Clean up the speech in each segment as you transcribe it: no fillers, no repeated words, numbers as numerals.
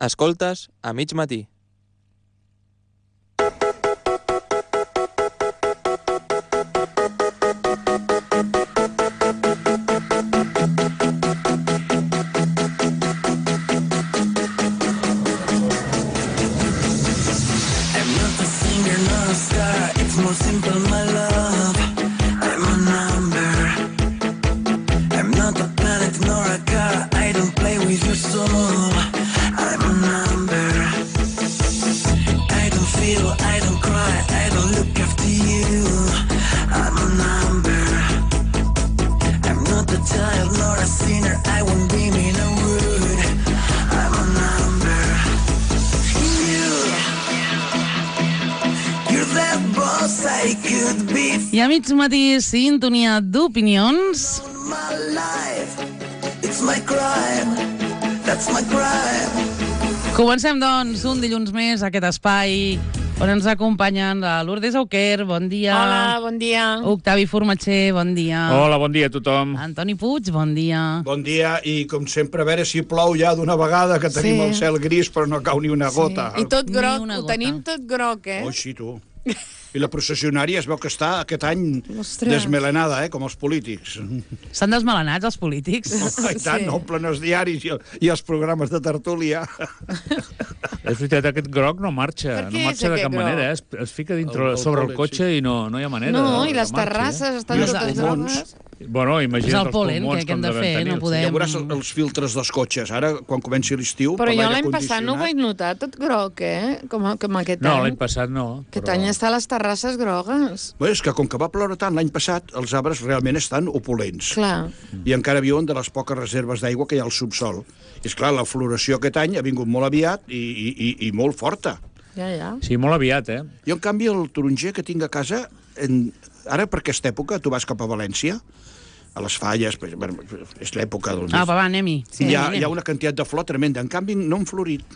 Escoltes a mig matí. I a mig matí, sintonia d'opinions. Comencem, doncs, un dilluns més aquest espai on ens acompanyen la Lourdes Auquer, bon dia. Hola, bon dia. Octavi Formatger, bon dia. Hola, bon dia a tothom. Antoni Puig, bon dia. Bon dia, i com sempre, a veure si plou ja d'una vegada, que tenim el cel gris però no cau ni una gota. I tot groc, ho tenim tot groc, eh? Oh, sí, tu. I la processionària es veu que està aquest any desmelenada, com els polítics. Estan desmelenats, els polítics? I tant, omplen els diaris i els programes de tertúlia. És veritat, aquest groc no marxa, no marxa de cap manera, es fica dintre sobre el cotxe i no hi ha manera. No, i les terrasses estan totes grogues. Bueno, imagina't els pulmons que hem de fer, no podem... Ja veuràs els filtres dels cotxes, ara, quan comenci l'estiu... Però jo l'any passat no ho vaig notar, tot groc, com aquest any. No, l'any passat no. Aquest any està a les terrasses grogues. Bé, és que com que va ploure tant l'any passat, els arbres realment estan opulents. Clar. I encara viuen de les poques reserves d'aigua que hi ha al subsol. I esclar, la floració aquest any ha vingut molt aviat i molt forta. Ja. Sí, molt aviat, Jo, en canvi, el taronger que tinc a casa, ara per aquesta època, tu vas cap a València, a les Falles, és l'època del mes. Va, anem-hi. Hi ha una quantitat de flor tremenda. En canvi, no han florit.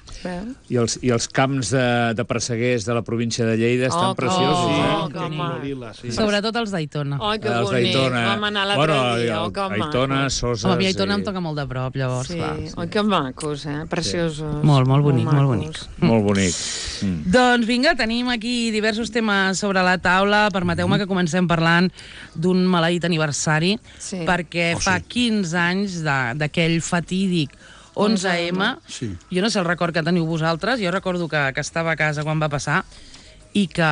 I els camps de presseguers de la província de Lleida estan preciosos. Sobretot els d'Aitona. Oh, que bonic. Vam anar l'altre dia. Aitona, Soses... A mi Aitona em toca molt de prop, llavors. Oh, que macos, preciosos. Molt bonic, molt bonic. Molt bonic. Doncs vinga, tenim aquí diversos temes sobre la taula. Permeteu-me que comencem parlant d'un maleït aniversari, perquè fa 15 anys d'aquell fatídic 11M. Jo no sé el record que teniu vosaltres, jo recordo que estava a casa quan va passar i que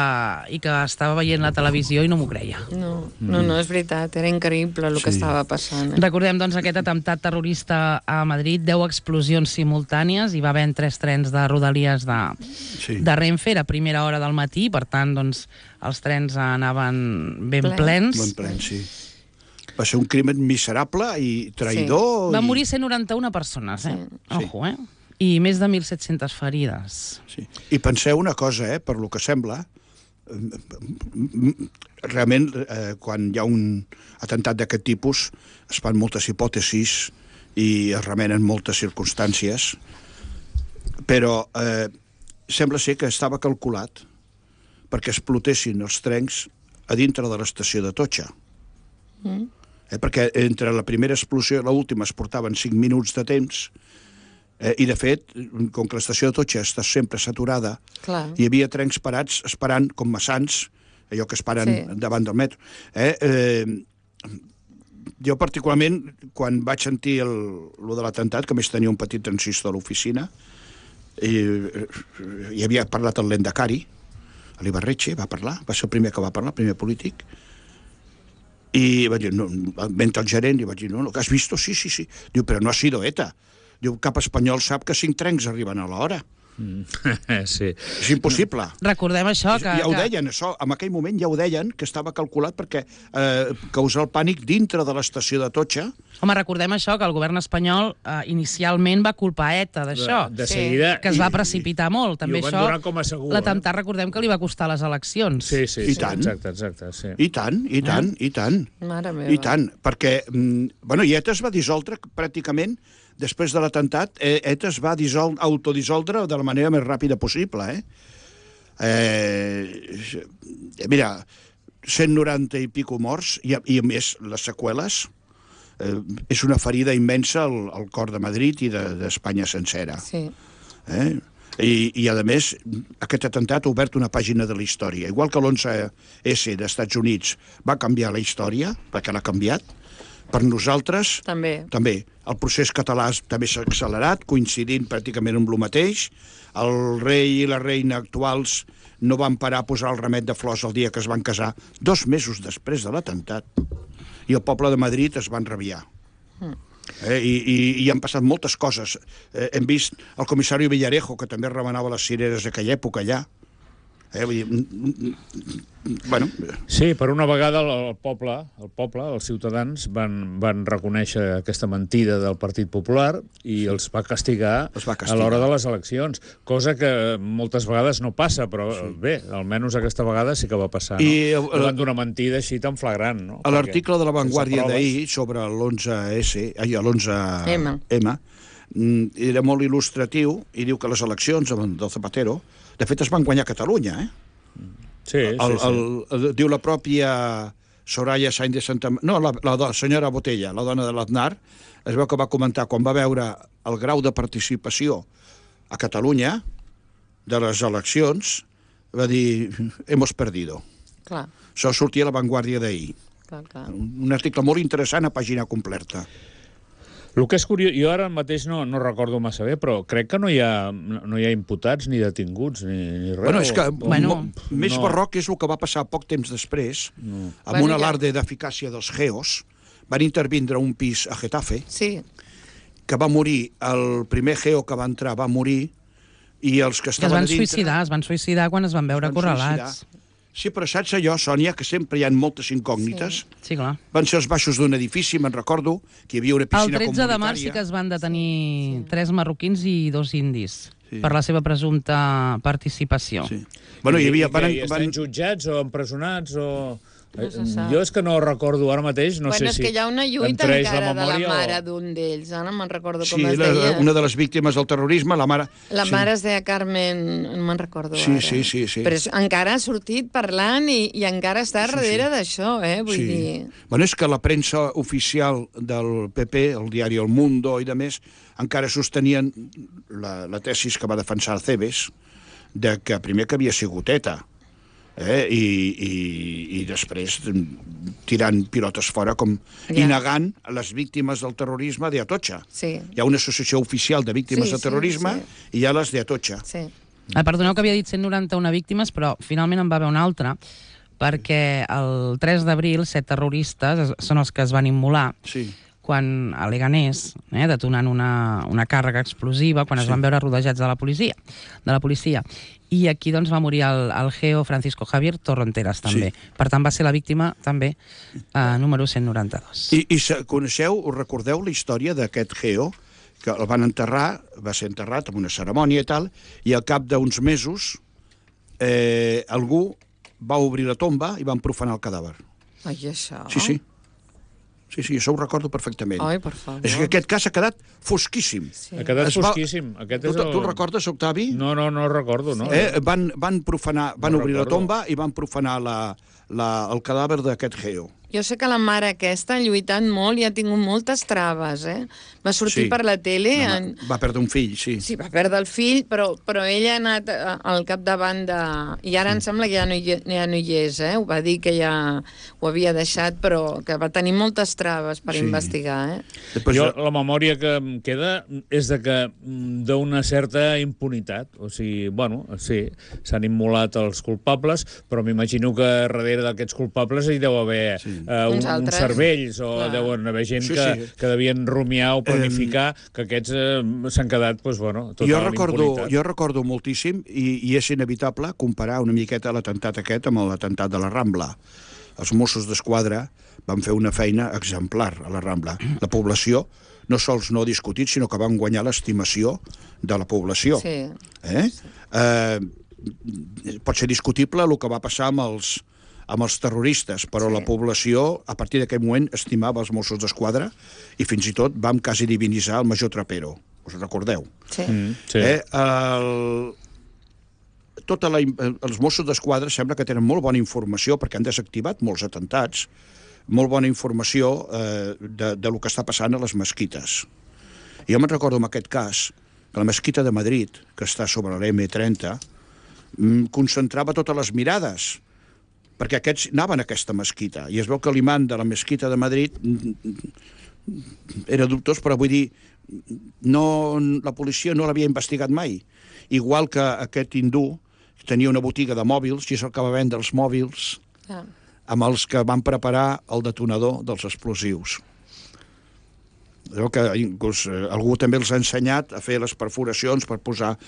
estava veient la televisió i no m'ho creia. No, és veritat, era increïble el que estava passant. Recordem, doncs, aquest atemptat terrorista a Madrid, 10 explosions simultànies, hi va haver 3 trens de Rodalies de Renfe, era primera hora del matí, per tant, doncs, els trens anaven ben plens. Ben plens, sí. Va ser un crimen miserable i traïdor. Va morir 191 persones, Ojo, I més de 1.700 ferides. Sí. I penseu una cosa, per lo que sembla, realment, quan hi ha un atemptat d'aquest tipus, es fan moltes hipòtesis i es remenen moltes circumstàncies, però sembla ser que estava calculat perquè explotessin els trens a dintre de l'estació de Totxa. Perquè entre la primera explosió i l'última es portaven 5 minuts de temps, i de fet, com que l'estació de Totxa està sempre saturada, hi havia trens parats esperant com maçans, allò que esperen davant del metro. Jo particularment, quan vaig sentir lo de l'atemptat, que a més tenia un petit transistor a l'oficina, i havia parlat el Lendakari, l'Ibarretxe va parlar, va ser el primer que va parlar, el primer polític, i va dir, mentre el gerent, i vaig dir, no, ¿has visto? Sí. Diu, però no ha sido ETA. Diu, cap espanyol sap que 5 trens arriben a l'hora. Sí. És impossible. Recordem això. Ja ho deien, això. En aquell moment ja ho deien, que estava calculat perquè causar el pànic dintre de l'estació de Totxa. Home, recordem això, que el govern espanyol inicialment va culpar ETA d'això. De seguida. Que es va precipitar molt. També i ho van donar com a segur. L'atemptat, recordem que li va costar les eleccions. Sí. I tant. Exacte, sí. I tant. Mare meva. I tant, perquè, i ETA es va dissoldre pràcticament. Després de l'atemptat, ETA es va autodissoldre de la manera més ràpida possible. Mira, 190 i pico morts, i a més les seqüeles, és una ferida immensa al cor de Madrid i d'Espanya sencera. Sí. I, a més, aquest atemptat ha obert una pàgina de la història. Igual que l'11S dels Estats Units va canviar la història, perquè l'ha canviat, per nosaltres també. El procés català també s'ha accelerat, coincidint pràcticament amb el mateix. El rei i la reina actuals no van parar a posar el ramet de flors el dia que es van casar, 2 mesos després de l'atemptat. I el poble de Madrid es van rabiar. I han passat moltes coses. Hem vist el comissari Villarejo, que també remenava les cireres d'aquella època allà. Bueno. Sí, per una vegada el poble, els ciutadans, van reconèixer aquesta mentida del Partit Popular i els va castigar a l'hora de les eleccions, cosa que moltes vegades no passa, però bé, almenys aquesta vegada sí que va passar. Davant d'una mentida així tan flagrant. A l'article de La Vanguardia d'ahir sobre l'11S, l'11M, era molt il·lustratiu i diu que les eleccions del Zapatero de fet es van guanyar a Catalunya, Sí. Diu la pròpia Soraya Sainz de Santa... No, la senyora Botella, la dona de l'Aznar, es veu que va comentar quan va veure el grau de participació a Catalunya de les eleccions, va dir, hemos perdido. Clar. Això sortia a La Vanguardia d'ahir. Un article molt interessant a pàgina completa. El que és curiós, jo ara mateix no recordo massa bé, però crec que no hi ha imputats ni detinguts ni res. Bueno, és que més barroc és el que va passar poc temps després, amb un alarde d'eficàcia dels GEOs. Van intervindre un pis a Getafe, que va morir, el primer GEO que va entrar va morir, i els que estaven a dintre... Es van suïcidar quan es van veure acorralats. Sí, però saps allò, Sònia, que sempre hi ha moltes incògnites? Sí, clar. Van ser els baixos d'un edifici, me'n recordo, que hi havia una piscina comunitària. El 13 de març sí que es van detenir 3 marroquins i 2 indis per la seva presumpta participació. Bueno, i estan jutjats o empresonats o... Jo és que no recordo ara mateix, no sé si... És que hi ha una lluita encara de la mare d'un d'ells, ara no me'n recordo com es deia. Sí, una de les víctimes del terrorisme, la mare... La mare es deia Carmen, no me'n recordo ara. Sí. Però encara ha sortit parlant i encara està darrere d'això, vull dir... Bueno, és que la premsa oficial del PP, el diari El Mundo i de més, encara sostenien la tesis que va defensar Cebes, de que primer que havia sigut ETA, i després tirant pilotes fora i negant les víctimes del terrorisme d'Atocha. Hi ha una associació oficial de víctimes de terrorisme i hi ha les d'Atocha. Perdoneu que havia dit 191 víctimes, però finalment en va haver una altra, perquè el 3 d'abril 7 terroristes són els que es van immolar quan a Leganés, detonant una càrrega explosiva, quan es van veure rodejats de la policia. I aquí doncs va morir el GEO Francisco Javier Torronteras, també. Per tant, va ser la víctima, també, número 192. I coneixeu, us recordeu la història d'aquest GEO? Que el van enterrar, va ser enterrat amb una cerimònia i tal, i al cap d'uns mesos algú va obrir la tomba i van profanar el cadàver. Ai, això... Sí, això ho recordo perfectament. Ai, per favor. És que aquest cas ha quedat fosquíssim. Ha quedat fosquíssim. Tu el recordes, Octavi? No recordo, no. Van obrir la tomba i van profanar el cadàver d'aquest GEO. Jo sé que la mare aquesta ha lluitat molt i ha tingut moltes traves, Va sortir per la tele... Va perdre un fill, sí. Sí, va perdre el fill, però ella ha anat al capdavant de... I ara em sembla que ja no hi és, Ho va dir que ja ho havia deixat, però que va tenir moltes traves per investigar, Jo, la memòria que em queda és de que d'una certa impunitat. O sigui, bueno, sí, s'han immolat els culpables, però m'imagino que darrere d'aquests culpables hi deu haver... uns cervells, o deuen haver gent que devien rumiar o planificar, que aquests s'han quedat, tota la impunitat. Jo recordo moltíssim, i és inevitable comparar una miqueta l'atemptat aquest amb l'atemptat de la Rambla. Els Mossos d'Esquadra van fer una feina exemplar a la Rambla. La població no sols no ha discutit, sinó que van guanyar l'estimació de la població. Pot ser discutible el que va passar amb els terroristes, però la població, a partir d'aquell moment, estimava els Mossos d'Esquadra i fins i tot vam quasi divinitzar el major Trapero. Us recordeu? Els Mossos d'Esquadra sembla que tenen molt bona informació, perquè han desactivat molts atentats, molt bona informació del que està passant a les mesquites. Jo me'n recordo en aquest cas que la mesquita de Madrid, que està sobre l'M30, concentrava totes les mirades, perquè aquests anaven a aquesta mesquita, i es veu que l'imam de la mesquita de Madrid era dubtós, però vull dir, la policia no l'havia investigat mai. Igual que aquest hindú tenia una botiga de mòbils i és el que va vendre els mòbils amb els que van preparar el detonador dels explosius. Que inclús algú també els ha ensenyat a fer les perforacions per posar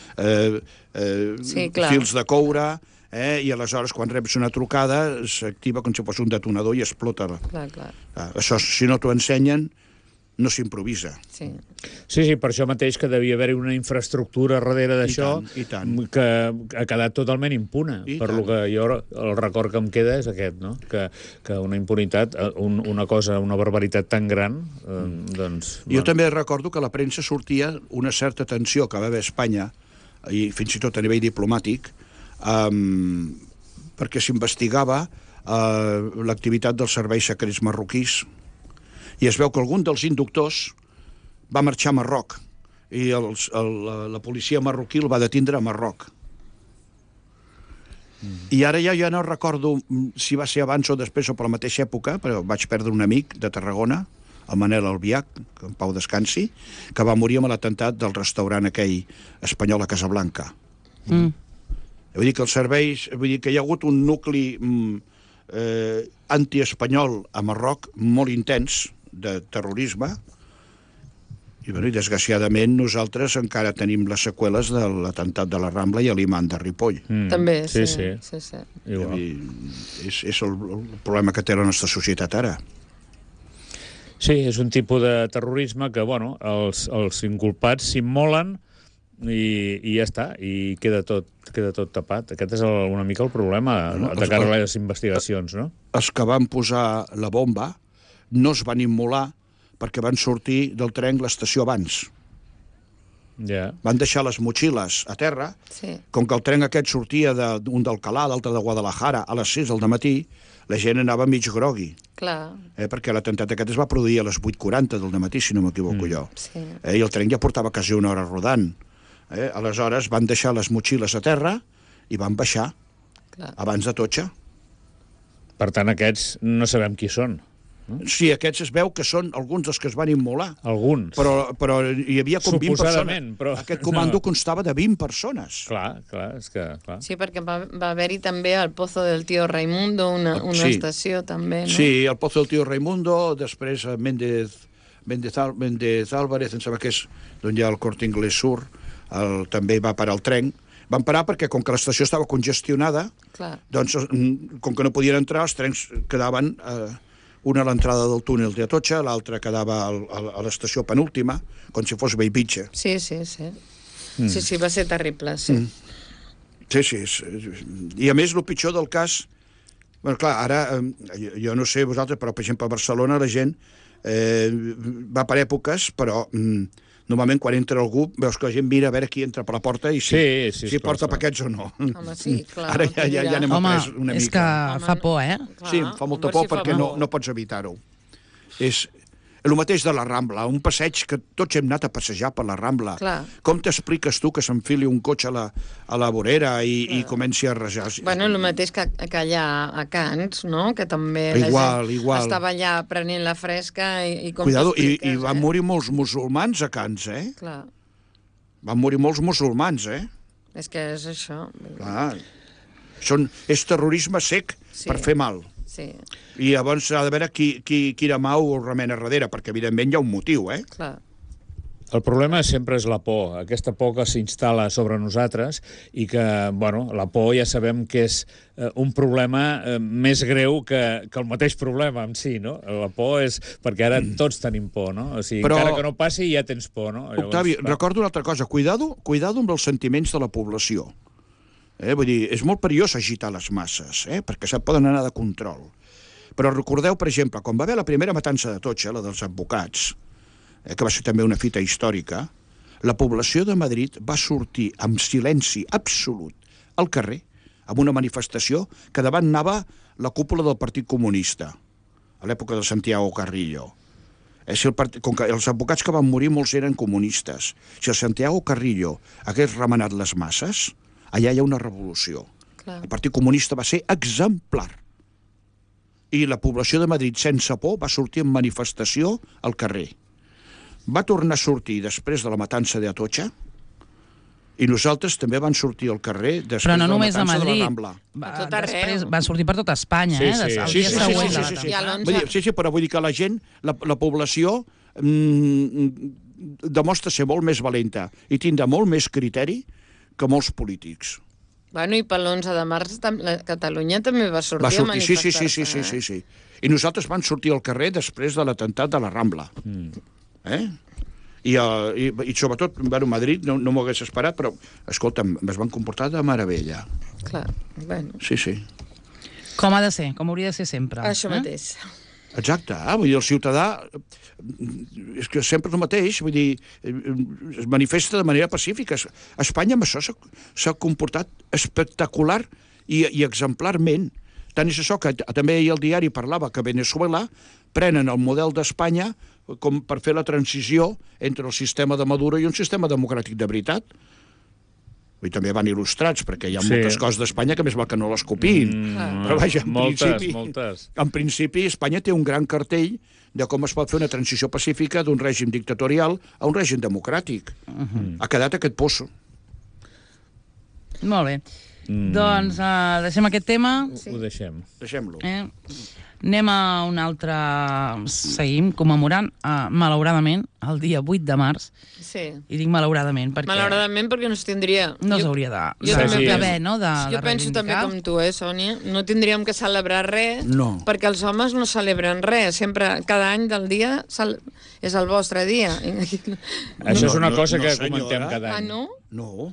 fils de coure, i aleshores quan reps una trucada s'activa com si fos un detonador i explota. Això, si no t'ho ensenyen, no s'improvisa. Sí, per això mateix que devia haver-hi una infraestructura darrere d'això que ha quedat totalment impune. Per lo que jo el record que em queda és aquest, no? Que una impunitat, una cosa, una barbaritat tan gran, doncs... Jo també recordo que a la premsa sortia una certa tensió que va haver a Espanya, i fins i tot a nivell diplomàtic, perquè s'investigava l'activitat dels serveis secrets marroquís, i es veu que algun dels inductors va marxar a Marroc i la policia marroquí el va detindre a Marroc. I ara ja no recordo si va ser abans o després o per la mateixa època, però vaig perdre un amic de Tarragona, el Manel Albiach, que en pau descansi, que va morir amb l'atemptat del restaurant aquell espanyol a Casablanca. Vull dir que els serveis... Vull dir que hi ha hagut un nucli antiespanyol a Marroc molt intens, de terrorisme, i desgraciadament nosaltres encara tenim les seqüeles de l'atemptat de la Rambla i l'imam de Ripoll. També, sí. És el problema que té la nostra societat ara. Sí, és un tipus de terrorisme que, bueno, els inculpats s'immolen i ja està, i queda tot tapat. Aquest és una mica el problema de cara a les investigacions, no? Els que van posar la bomba no es van immolar perquè van sortir del tren l'estació abans. Van deixar les motxilles a terra. Com que el tren aquest sortia d'un d'Alcalá, l'altre de Guadalajara, a les 6 del matí, la gent anava mig grogui. Perquè l'atemptat aquest es va produir a les 8:40 del matí, si no m'equivoco jo. I el tren ja portava quasi una hora rodant. Aleshores van deixar les motxilles a terra i van baixar abans de Atocha. Per tant, aquests no sabem qui són. Sí, aquests es veu que són alguns dels que es van immolar. Alguns. Però hi havia com 20 persones. Però... Aquest comando constava de 20 persones. Clar, és que... Clar. Sí, perquè va haver-hi també el Pozo del Tío Raimundo, una estació també, no? Sí, el Pozo del Tío Raimundo, després Méndez Álvarez, em sembla que és d'on hi ha el Corte Inglés Sur, també va parar el tren. Van parar perquè, com que l'estació estava congestionada, doncs, com que no podien entrar, els trens quedaven... una a l'entrada del túnel d'Atocha, l'altra quedava a l'estació penúltima, com si fos Bellvitge. Sí, va ser terrible, sí. Sí. I a més, el pitjor del cas... Bueno, clar, ara, jo no sé vosaltres, però, per exemple, a Barcelona la gent va per èpoques, però... Normalment, quan entra algú, veus que la gent mira a veure qui entra per la porta i si porta paquets o no. Home, sí, clar. Ara ja n'hem après una mica. És que fa por, Sí, fa molta por perquè no pots evitar-ho. És el mateix de la Rambla, un passeig que tots hem anat a passejar per la Rambla. Com t'expliques tu que s'enfili un cotxe a la vorera i comenci a rajar? Bueno, el mateix que allà a Cants, no? Que també la gent estava allà prenent la fresca i com t'expliques, i van morir molts musulmans a Cants, Clar. Van morir molts musulmans, És que és això. Clar. És terrorisme sec per fer mal. Sí. I llavors s'ha de veure quina mà ho remena darrere, perquè evidentment hi ha un motiu, Clar. El problema sempre és la por, aquesta por que s'instal·la sobre nosaltres i que, bueno, la por ja sabem que és un problema més greu que el mateix problema en si, no? La por és perquè ara tots tenim por, no? O sigui, encara que no passi ja tens por, no? Octavi, recordo una altra cosa, cuidado amb els sentiments de la població. Vull dir, és molt perillós agitar les masses, perquè se'n poden anar de control. Però recordeu, per exemple, quan va haver la primera matança d'Atocha, la dels advocats, que va ser també una fita històrica, la població de Madrid va sortir amb silenci absolut al carrer, amb una manifestació que davant anava la cúpula del Partit Comunista, a l'època de Santiago Carrillo. Com que els advocats que van morir molts eren comunistes, si el Santiago Carrillo hagués remenat les masses, allà hi ha una revolució. Clar. El Partit Comunista va ser exemplar. I la població de Madrid, sense por, va sortir en manifestació al carrer. Va tornar a sortir després de la matança d'Atocha, i nosaltres també van sortir al carrer després de la matança de la Rambla. Després va sortir per tota Espanya, Sí, però vull dir que la gent, la població demostra ser molt més valenta i tindrà molt més criteri que molts polítics. Bueno, i per l'11 de març Catalunya també va sortir a manifestar-se. Sí. I nosaltres vam sortir al carrer després de l'atemptat de la Rambla. I sobretot, bueno, Madrid no m'ho hagués esperat, però, escolta'm, es van comportar de meravella. Clar, bueno. Sí. Com ha de ser, com hauria de ser sempre. Això mateix. Exacte, vull dir, el ciutadà és que sempre és el mateix, vull dir, es manifesta de manera pacífica. Espanya amb això s'ha comportat espectacular i exemplarment. Tant és això que també ahir el diari parlava que Venezuela prenen el model d'Espanya com per fer la transició entre el sistema de Maduro i un sistema democràtic de veritat. I també van il·lustrats, perquè hi ha moltes coses d'Espanya que més val que no les copiïn. Però vaja, en principi Espanya té un gran cartell de com es pot fer una transició pacífica d'un règim dictatorial a un règim democràtic. Ha quedat aquest pozo. Molt bé. Doncs deixem aquest tema. Ho deixem. Deixem-lo. Anem a un altre... Seguim commemorant, malauradament, el dia 8 de març. Sí. I dic malauradament perquè... Malauradament perquè no es tindria... No s'hauria d'haver, no? Jo penso també com tu, Sònia? No tindríem que celebrar res, perquè els homes no celebren res. Sempre, cada any del dia, és el vostre dia. Això és una cosa que comentem cada any. Ah, no? No.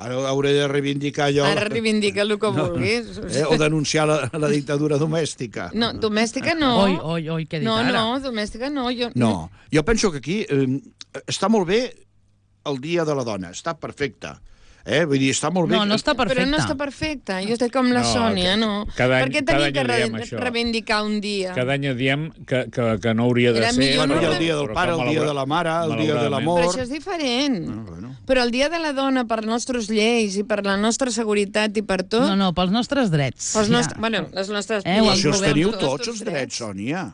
Ara hauré de reivindicar allò... Ara reivindica el que vulguis. O denunciar la dictadura domèstica. No, domèstica no. Oi, què he dit ara? No, domèstica no. No, jo penso que aquí està molt bé el Dia de la Dona, està perfecte. Vull dir, està molt bé... No està perfecte. Però no està perfecte. Jo estic com la Sònia, no. Per què tenia que reivindicar un dia? Cada any diem que no hauria de ser... Bueno, hi ha el dia del pare, el dia de la mare, el dia de l'amor... Però això és diferent. Però el dia de la dona, per les nostres lleis i per la nostra seguretat i per tot... No, pels nostres drets. Bueno, les nostres... Si els teniu tots, els drets, Sònia.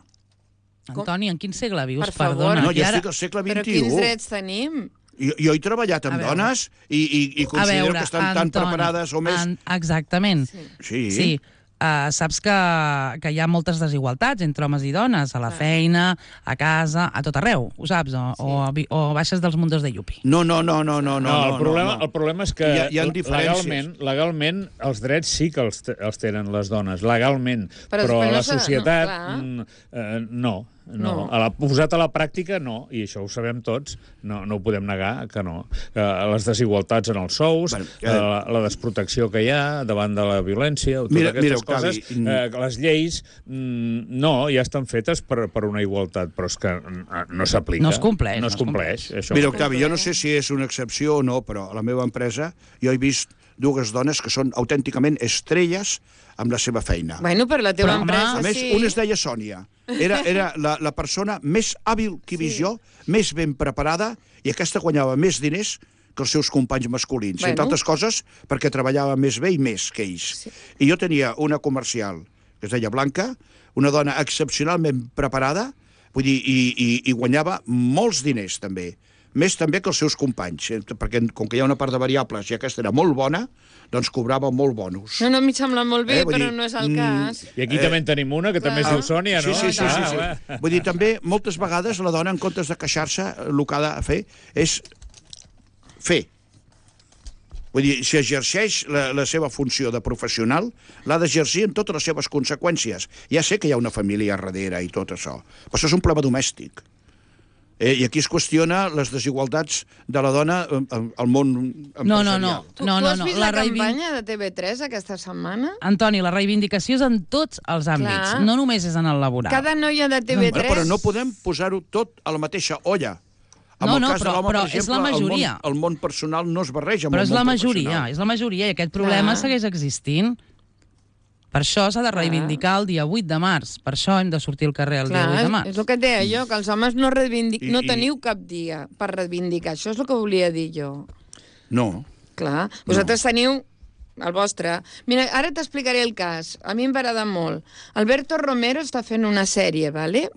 Antoni, en quin segle vius? Per favor. No, jo estic al segle XXI. Però quins drets tenim? Jo he treballat amb dones i considero que estan tan preparades o més... Exactament. Sí. Saps que hi ha moltes desigualtats entre homes i dones, a la feina, a casa, a tot arreu, ho saps? O baixes dels mundos de Yupi. No. El problema és que legalment els drets sí que els tenen les dones, legalment, però la societat no. Posat a la pràctica, no, i això ho sabem tots, no ho podem negar, que no. Les desigualtats en els sous, la desprotecció que hi ha davant de la violència, totes aquestes coses, les lleis, ja estan fetes per una igualtat, però és que no s'aplica. No es compleix. No es compleix. Mira, Octavi, jo no sé si és una excepció o no, però a la meva empresa jo he vist dues dones que són autènticament estrelles amb la seva feina. Bueno, per la teva empresa, sí. A més, una es deia Sònia. Era la persona més hàbil que he vist jo, més ben preparada, i aquesta guanyava més diners que els seus companys masculins. Entre altres coses, perquè treballava més bé i més que ells. I jo tenia una comercial, que es deia Blanca, una dona excepcionalment preparada, vull dir, i guanyava molts diners, també. Més també que els seus companys, perquè com que hi ha una part de variables i aquesta era molt bona, doncs cobrava molt bonus. No, m'hi sembla molt bé, però no és el cas. I aquí també en tenim una, que també es diu Sònia, no? Sí. Vull dir, també, moltes vegades la dona, en comptes de queixar-se, el que ha de fer és fer. Vull dir, si exerceix la seva funció de professional, l'ha d'exercir en totes les seves conseqüències. Ja sé que hi ha una família darrere i tot això, però això és un problema domèstic. I aquí es qüestiona les desigualtats de la dona al món empresarial. Tu has vist la campanya de TV3 aquesta setmana? Antoni, la reivindicació és en tots els àmbits, no només és en el laboral. Cada noia de TV3... Però no podem posar-ho tot a la mateixa olla. En el cas de l'home, per exemple, el món personal no es barreja amb el món professional. Però és la majoria, i aquest problema segueix existint. Per això s'ha de reivindicar el dia 8 de març. Per això hem de sortir al carrer el dia 8 de març. És el que et deia jo, que els homes no teniu cap dia per reivindicar. Això és el que volia dir jo. No. Clar, vosaltres teniu el vostre. Mira, ara t'explicaré el cas. A mi em va agradar molt. Alberto Romero està fent una sèrie, ¿vale?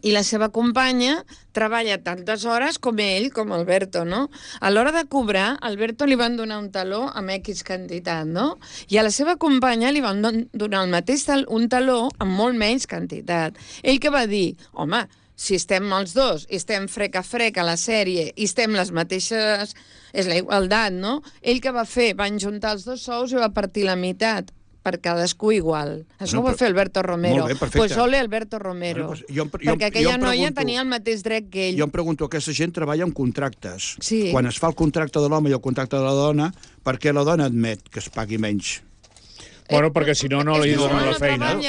I la seva companya treballa tantes hores com ell, com Alberto, no? A l'hora de cobrar, a Alberto li van donar un taló amb X quantitat, no? I a la seva companya li van donar el mateix un taló amb molt menys quantitat. Ell que va dir, home, si estem els dos i estem frec a frec a la sèrie i estem les mateixes... És la igualtat, no? Ell que va fer? Va juntar els dos sous i va partir la meitat per cadascú igual. Això ho va fer Alberto Romero. Molt bé, perfecte. Pues ole Alberto Romero. Perquè aquella noia tenia el mateix dret que ell. Jo em pregunto, aquesta gent treballa amb contractes. Sí. Quan es fa el contracte de l'home i el contracte de la dona, per què la dona admet que es pagui menys? Bueno, perquè si no, no li donen la feina.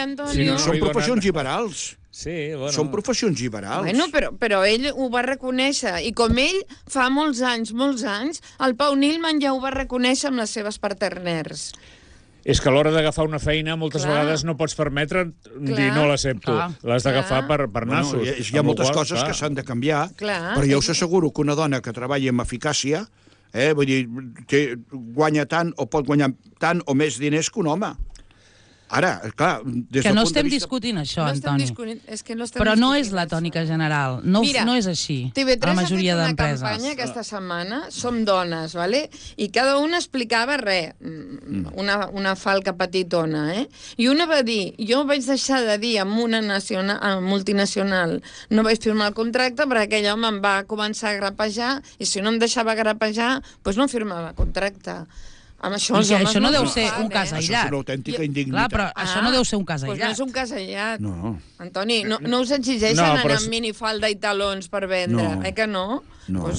Són professions liberals. Sí, bueno. Són professions liberals. Bueno, però ell ho va reconèixer. I com ell, fa molts anys, el Pau Nilman ja ho va reconèixer amb les seves partners. És que a l'hora d'agafar una feina moltes vegades no pots permetre dir no l'accepto. L'has d'agafar per nassos. Hi ha moltes coses que s'han de canviar, però jo us asseguro que una dona que treballa amb eficàcia, vull dir, guanya tant o pot guanyar tant o més diners que un home. Ara, clar... Que no estem discutint això, Antoni. Però no és la tònica general. No és així, a la majoria d'empreses. TV3 ha fet una campanya aquesta setmana, Som dones, ¿vale? I cada una explicava una falca petitona, I una va dir, jo vaig deixar de dir amb una multinacional, no vaig firmar el contracte perquè aquell home em va començar a grapejar i si no em deixava grapejar, doncs no firmava contracte. Això no deu ser un cas aïllat. Això és una autèntica indignitat. Clar, però això no deu ser un cas aïllat. Doncs no és un cas aïllat. No. Antoni, no us exigeixen anar amb minifalda i talons per vendre, que no?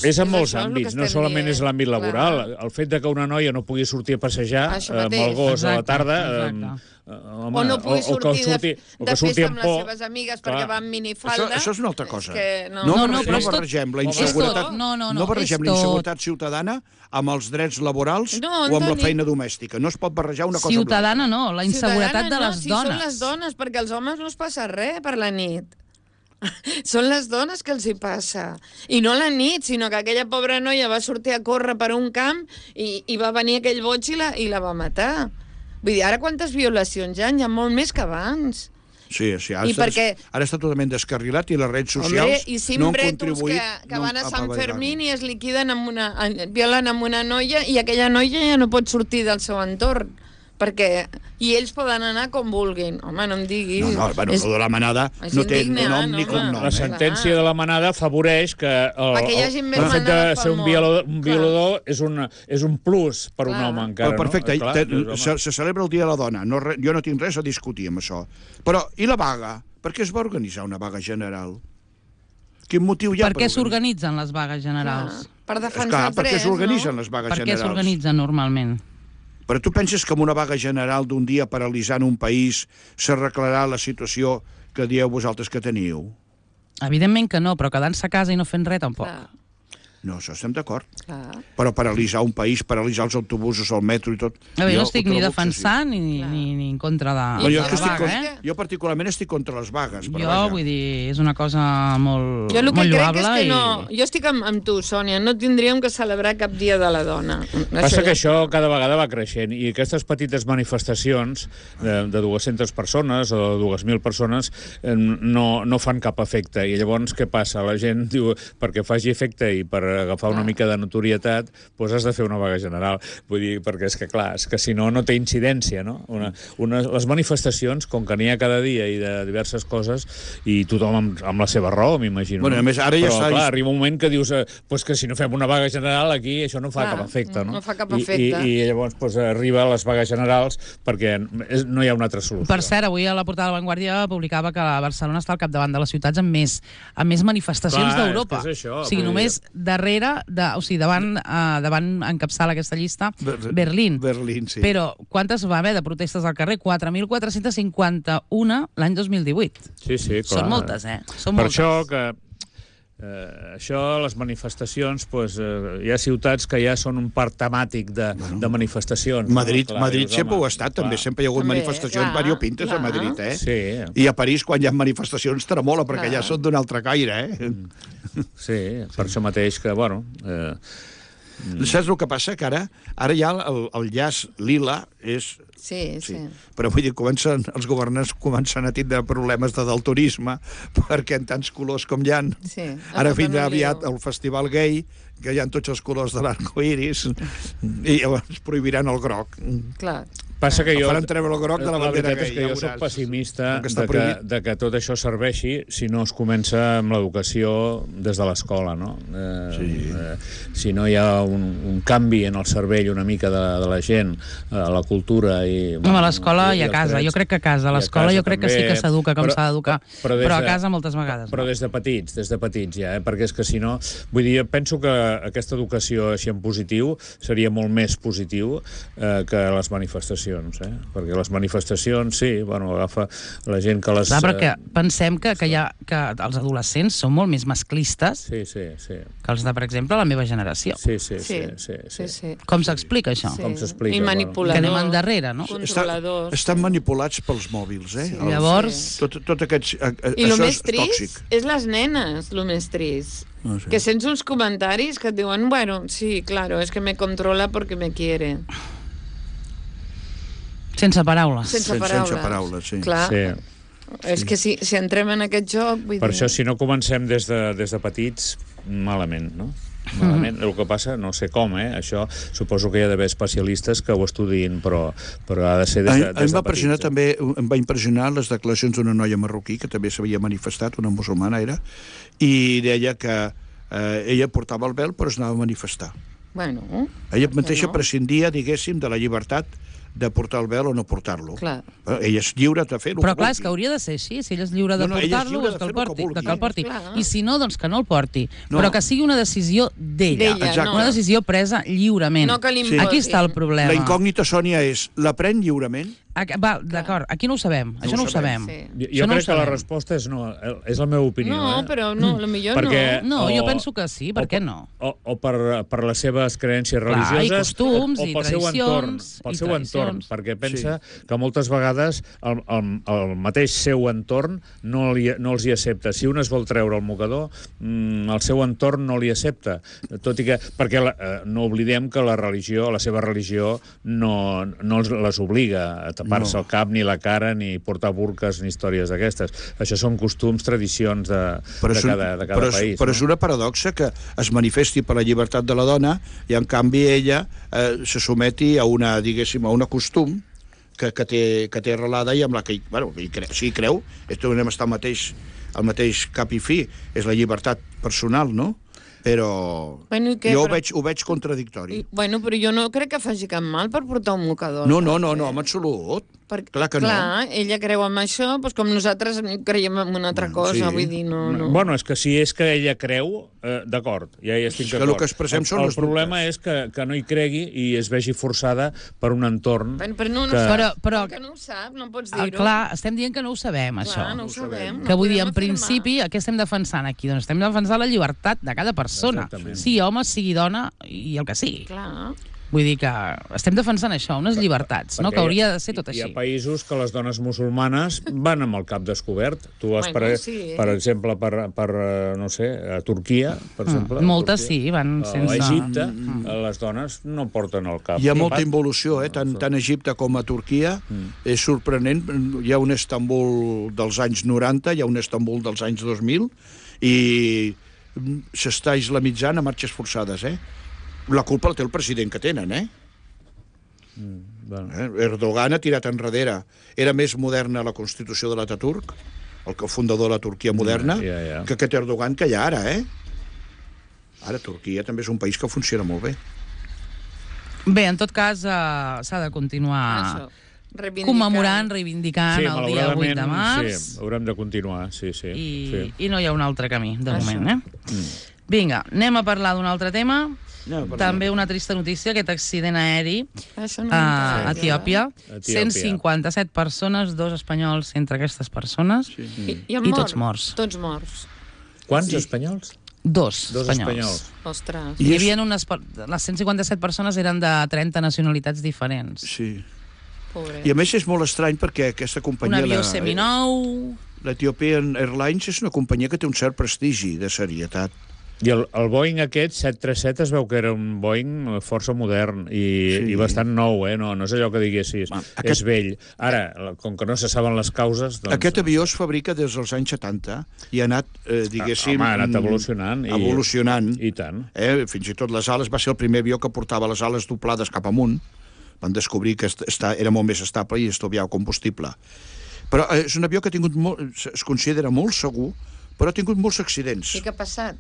És en molts àmbits, no solament és l'àmbit laboral. El fet que una noia no pugui sortir a passejar amb el gos a la tarda... O no pugui sortir de festa amb les seves amigues perquè va amb minifalda... Això és una altra cosa. No barregem la inseguretat. No barregem la inseguretat ciutadana amb els drets laborals o amb la feina domèstica. No es pot barrejar una cosa amb l'altra. Ciutadana no, la inseguretat de les dones. Són les dones, perquè als homes no es passa res per la nit. Són les dones que els hi passa. I no la nit, sinó que aquella pobra noia va sortir a córrer per un camp i va venir aquell boig i la va matar. Vull dir, ara quantes violacions hi ha? Hi ha molt més que abans. Sí, ara està totalment descarrilat i les redes socials no han contribuït... que van a Sant Fermín i es liquiden violen amb una noia i aquella noia ja no pot sortir del seu entorn. I ells poden anar com vulguin. Home, no em diguis... No, lo de la manada no té nom ni cognom. La sentència de la manada afavoreix que el fet de ser un violador és un plus per un home encara. Perfecte, se celebra el Dia de la Dona. Jo no tinc res a discutir amb això. Però, i la vaga? Per què es va organitzar una vaga general? Quin motiu hi ha? Per què s'organitzen les vagues generals? Per defensar els drets, no? Per què s'organitzen les vagues generals? Per què s'organitzen normalment? Però tu penses que amb una vaga general d'un dia paralitzant un país s'arreglarà la situació que dieu vosaltres que teniu? Evidentment que no, però quedant-se a casa i no fent res tampoc. No, això estem d'acord. Però paralitzar un país, paralitzar els autobusos, el metro i tot... Jo no estic ni defensant ni en contra de la vaga, Jo particularment estic contra les vagues. Vull dir, és una cosa molt lloable. Jo el que crec és que no... Jo estic amb tu, Sònia, no tindríem que celebrar cap dia de la dona. Passa que això cada vegada va creixent i aquestes petites manifestacions de 200 persones o de 2.000 persones no fan cap efecte. I llavors què passa? La gent diu, perquè faci efecte i per agafar una mica de notorietat, doncs has de fer una vaga general. Vull dir, perquè és que si no té incidència, no? Les manifestacions, com que n'hi ha cada dia i de diverses coses, i tothom amb la seva raó, m'imagino. Bueno, a més, ara ja però, clar, arriba un moment que dius que si no fem una vaga general aquí, això no fa cap efecte, no? No fa cap efecte. I llavors arriba a les vagues generals perquè no hi ha una altra solució. Per cert, avui a la portada de La Vanguardia publicava que Barcelona està al capdavant de les ciutats amb més manifestacions d'Europa. O sigui, només davant encapçala aquesta llista Berlín. Berlín, sí. Però quantes va haver de protestes al carrer? 4.451 l'any 2018. Sí, clar. Són moltes, Són per moltes. això que Això, les manifestacions, hi ha ciutats que ja són un parc temàtic de manifestacions. Madrid sempre ho ha estat, també. Sempre hi ha hagut manifestacions variopintes a Madrid, eh? Sí. I a París, quan hi ha manifestacions, tremola, perquè ja són d'un altre caire, eh? Sí, per això mateix que, bueno... Saps el que passa? Que ara ja el llaç lila és... Sí. Però vull dir, els governants comencen a tindre problemes de daltonisme perquè en tants colors com hi ha. Sí. Ara vindrà aviat el festival gay, que hi ha tots els colors de l'arcoiris, i llavors prohibiran el groc. Clar. Passa que jo... Faran treure el groc de la bandera veritat és que gay, jo soc pessimista de que tot això serveixi si no es comença amb l'educació des de l'escola, no? Si no hi ha un canvi en el cervell una mica de la gent, la cultura i... A l'escola i a casa. Jo crec que a casa. A l'escola jo crec que sí que s'educa com s'ha d'educar, però a casa moltes vegades. Però des de petits ja, perquè és que si no... Vull dir, penso que aquesta educació així en positiu seria molt més positiu que les manifestacions, perquè les manifestacions, sí, bueno, agafa la gent que les... Clar, perquè pensem que els adolescents són molt més masclistes que els de, per exemple, la meva generació. Sí. Com s'explica això? Com s'explica? I manipuladors. Que anem endarrere, no? Controladors. Estan manipulats pels mòbils, eh? Llavors... Tot aquests... I el més trist és les nenes, el més trist. Que sents uns comentaris que et diuen, bueno, sí, claro, es que me controla porque me quiere. Sense paraules. Sense paraules, sí. Clar. És que si entrem en aquest joc... Per això, si no comencem des de petits, malament, no? Malament. El que passa, no sé com, això suposo que hi ha d'haver especialistes que ho estudiïn, però ha de ser des de petits. També em va impressionar les declaracions d'una noia marroquí, que també s'havia manifestat, una musulmana era, i deia que ella portava el vel però es anava a manifestar. Bueno, ella mateixa prescindia, diguéssim, de la llibertat de portar el vel o no portar-lo. Ella és lliure de fer-ho. Però clar, és que hauria de ser així. Si ella és lliure de portar-lo, que el porti. I si no, doncs que no el porti. Però que sigui una decisió d'ella. Una decisió presa lliurement. Aquí està el problema. La incògnita, Sònia, és la pren lliurement? Va, d'acord, aquí no ho sabem. Això no ho sabem. Jo crec que la resposta és no. És la meva opinió. No, però no, potser no. No, jo penso que sí, per què no? O per les seves creences religioses. I costums, i tradicions. Pel seu entorn, perquè pensa que moltes vegades el mateix seu entorn no els hi accepta. Si un es vol treure el mocador, el seu entorn no li accepta. Tot i que... Perquè no oblidem que la seva religió no les obliga a tapar-se el cap, ni la cara, ni portar burques, ni històries d'aquestes. Això són costums, tradicions de cada país. Però és una paradoxa que es manifesti per la llibertat de la dona i, en canvi, ella se someti a a un costum que té arrelada i amb la que, si hi creu, anem a estar al mateix cap i fi, és la llibertat personal, no? Però ho veig contradictori. Però jo no crec que faci cap mal per portar un mocador. No, en absolut. Clar que no. Clar, ella creu en això, doncs com nosaltres creiem en una altra cosa, vull dir, no. Bueno, és que si és que ella creu, d'acord, ja hi estic d'acord. El que expressem són les dubtes. El problema és que no hi cregui i es vegi forçada per un entorn... Però que no ho sap, no pots dir-ho. Clar, estem dient que no ho sabem, això. Clar, no ho sabem. Que vull dir, en principi, què estem defensant aquí? Doncs estem defensant la llibertat de cada persona. Sigui home, sigui dona i el que sigui. Clar. Vull dir que estem defensant això, unes llibertats, no? Que hauria de ser tot així. Hi ha països que les dones musulmanes van amb el cap descobert. Tu vas, per exemple, no sé, a Turquia, per exemple. Moltes sí, van sense... A Egipte, les dones no porten el cap. Hi ha molta involució, tant a Egipte com a Turquia. És sorprenent. Hi ha un Istanbul dels anys 90, hi ha un Istanbul dels anys 2000, i s'està islamitzant a marxes forçades, La culpa la té el president que tenen, Erdogan ha tirat enrere. Era més moderna la Constitució de l'Ataturk, el fundador de la Turquia moderna, que aquest Erdogan que hi ha ara, Ara Turquia també és un país que funciona molt bé. Bé, en tot cas, s'ha de continuar commemorant, reivindicant el dia 8 de març. Sí, haurem de continuar, sí. I no hi ha un altre camí, de moment, Vinga, anem a parlar d'un altre tema. També una trista notícia, aquest accident aeri a Etiòpia. 157 persones, 2 espanyols entre aquestes persones, i tots morts. Tots morts. Quants espanyols? Dos espanyols. espanyols. Ostres. Hi havia les 157 persones eren de 30 nacionalitats diferents. Sí. Pobre. I a més és molt estrany perquè aquesta Un companyia... avió seminou... L'Ethiopian Airlines és una companyia que té un cert prestigi de serietat. I el Boeing aquest, 737, es veu que era un Boeing força modern i bastant nou, no és allò que diguessis, és vell. Ara, com que no se saben les causes... Doncs... Aquest avió es fabrica des dels anys 70 i ha anat, diguéssim... ha anat evolucionant. Evolucionant. I tant. Fins i tot les ales, va ser el primer avió que portava les ales doblades cap amunt. Van descobrir que era molt més estable i estalviava combustible. Però és un avió que ha tingut es considera molt segur, però ha tingut molts accidents. I què ha passat?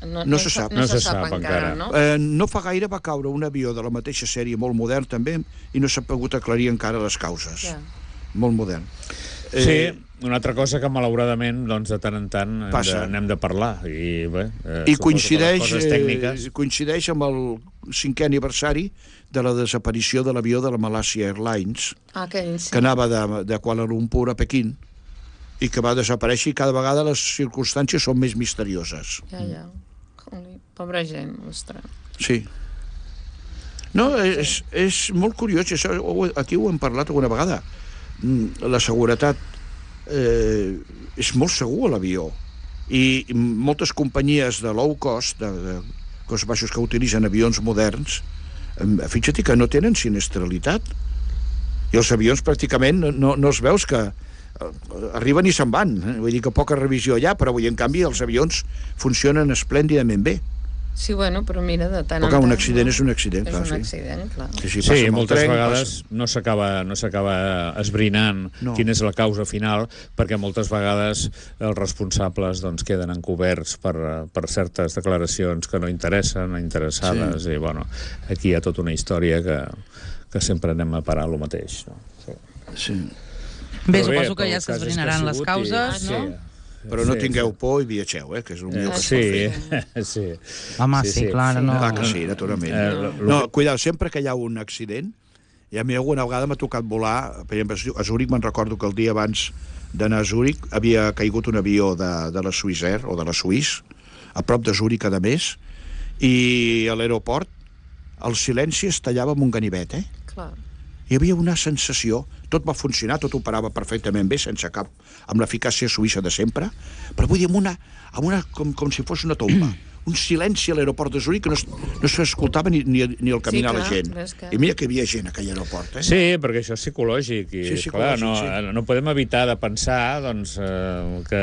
No se sap. No se sap encara. No? No fa gaire va caure un avió de la mateixa sèrie, molt modern també, i no s'ha pogut aclarir encara les causes. Ja. Molt modern. Sí, una altra cosa que malauradament doncs, de tant en tant n'hem de parlar. I coincideix amb el 5è aniversari de la desaparició de l'avió de la Malaysia Airlines, que anava de Kuala Lumpur a Pequín, i que va desaparèixer, i cada vegada les circumstàncies són més misterioses. Ja. Pobra gent, ostres. Sí. No, és molt curiós, això, aquí ho hem parlat alguna vegada. La seguretat és molt segur a l'avió, i moltes companyies de low cost, de cost baixos, que utilitzen avions moderns, fixa't que no tenen sinistralitat, i els avions pràcticament no els veus que arriben i se'n van, vull dir que poca revisió allà, però en canvi els avions funcionen esplèndidament bé. Sí, bueno, però mira, de tant en tant... un accident és un accident, clar. És un accident, clar. Sí, moltes vegades no s'acaba esbrinant quina és la causa final, perquè moltes vegades els responsables queden encoberts per certes declaracions que no interessen, interessades, i bueno, aquí hi ha tota una història que sempre anem a parar lo mateix. Sí. Bé, suposo que ja s'esbrinaran les causes, no? Però no tingueu por i viatgeu, que és el millor que es pot fer. Home, sí, clar, no. Clar que sí, naturalment. No, cuidado, sempre que hi ha un accident, i a mi alguna vegada m'ha tocat volar, per exemple, a Zúrich, me'n recordo que el dia abans d'anar a Zúrich havia caigut un avió de la Swissair, o de la Swiss, a prop de Zúrich, a més, i a l'aeroport el silenci es tallava amb un ganivet, Clar. Hi havia una sensació, tot va funcionar, tot operava perfectament bé, sense cap, amb l'eficàcia suïssa de sempre, però vull dir, com si fos una tomba. Un silenci a l'aeroport de Zúrich que no s'escoltava ni el caminar la gent. I mira que hi havia gent a aquell aeroport. Sí, perquè això és psicològic. I, clar, no podem evitar de pensar que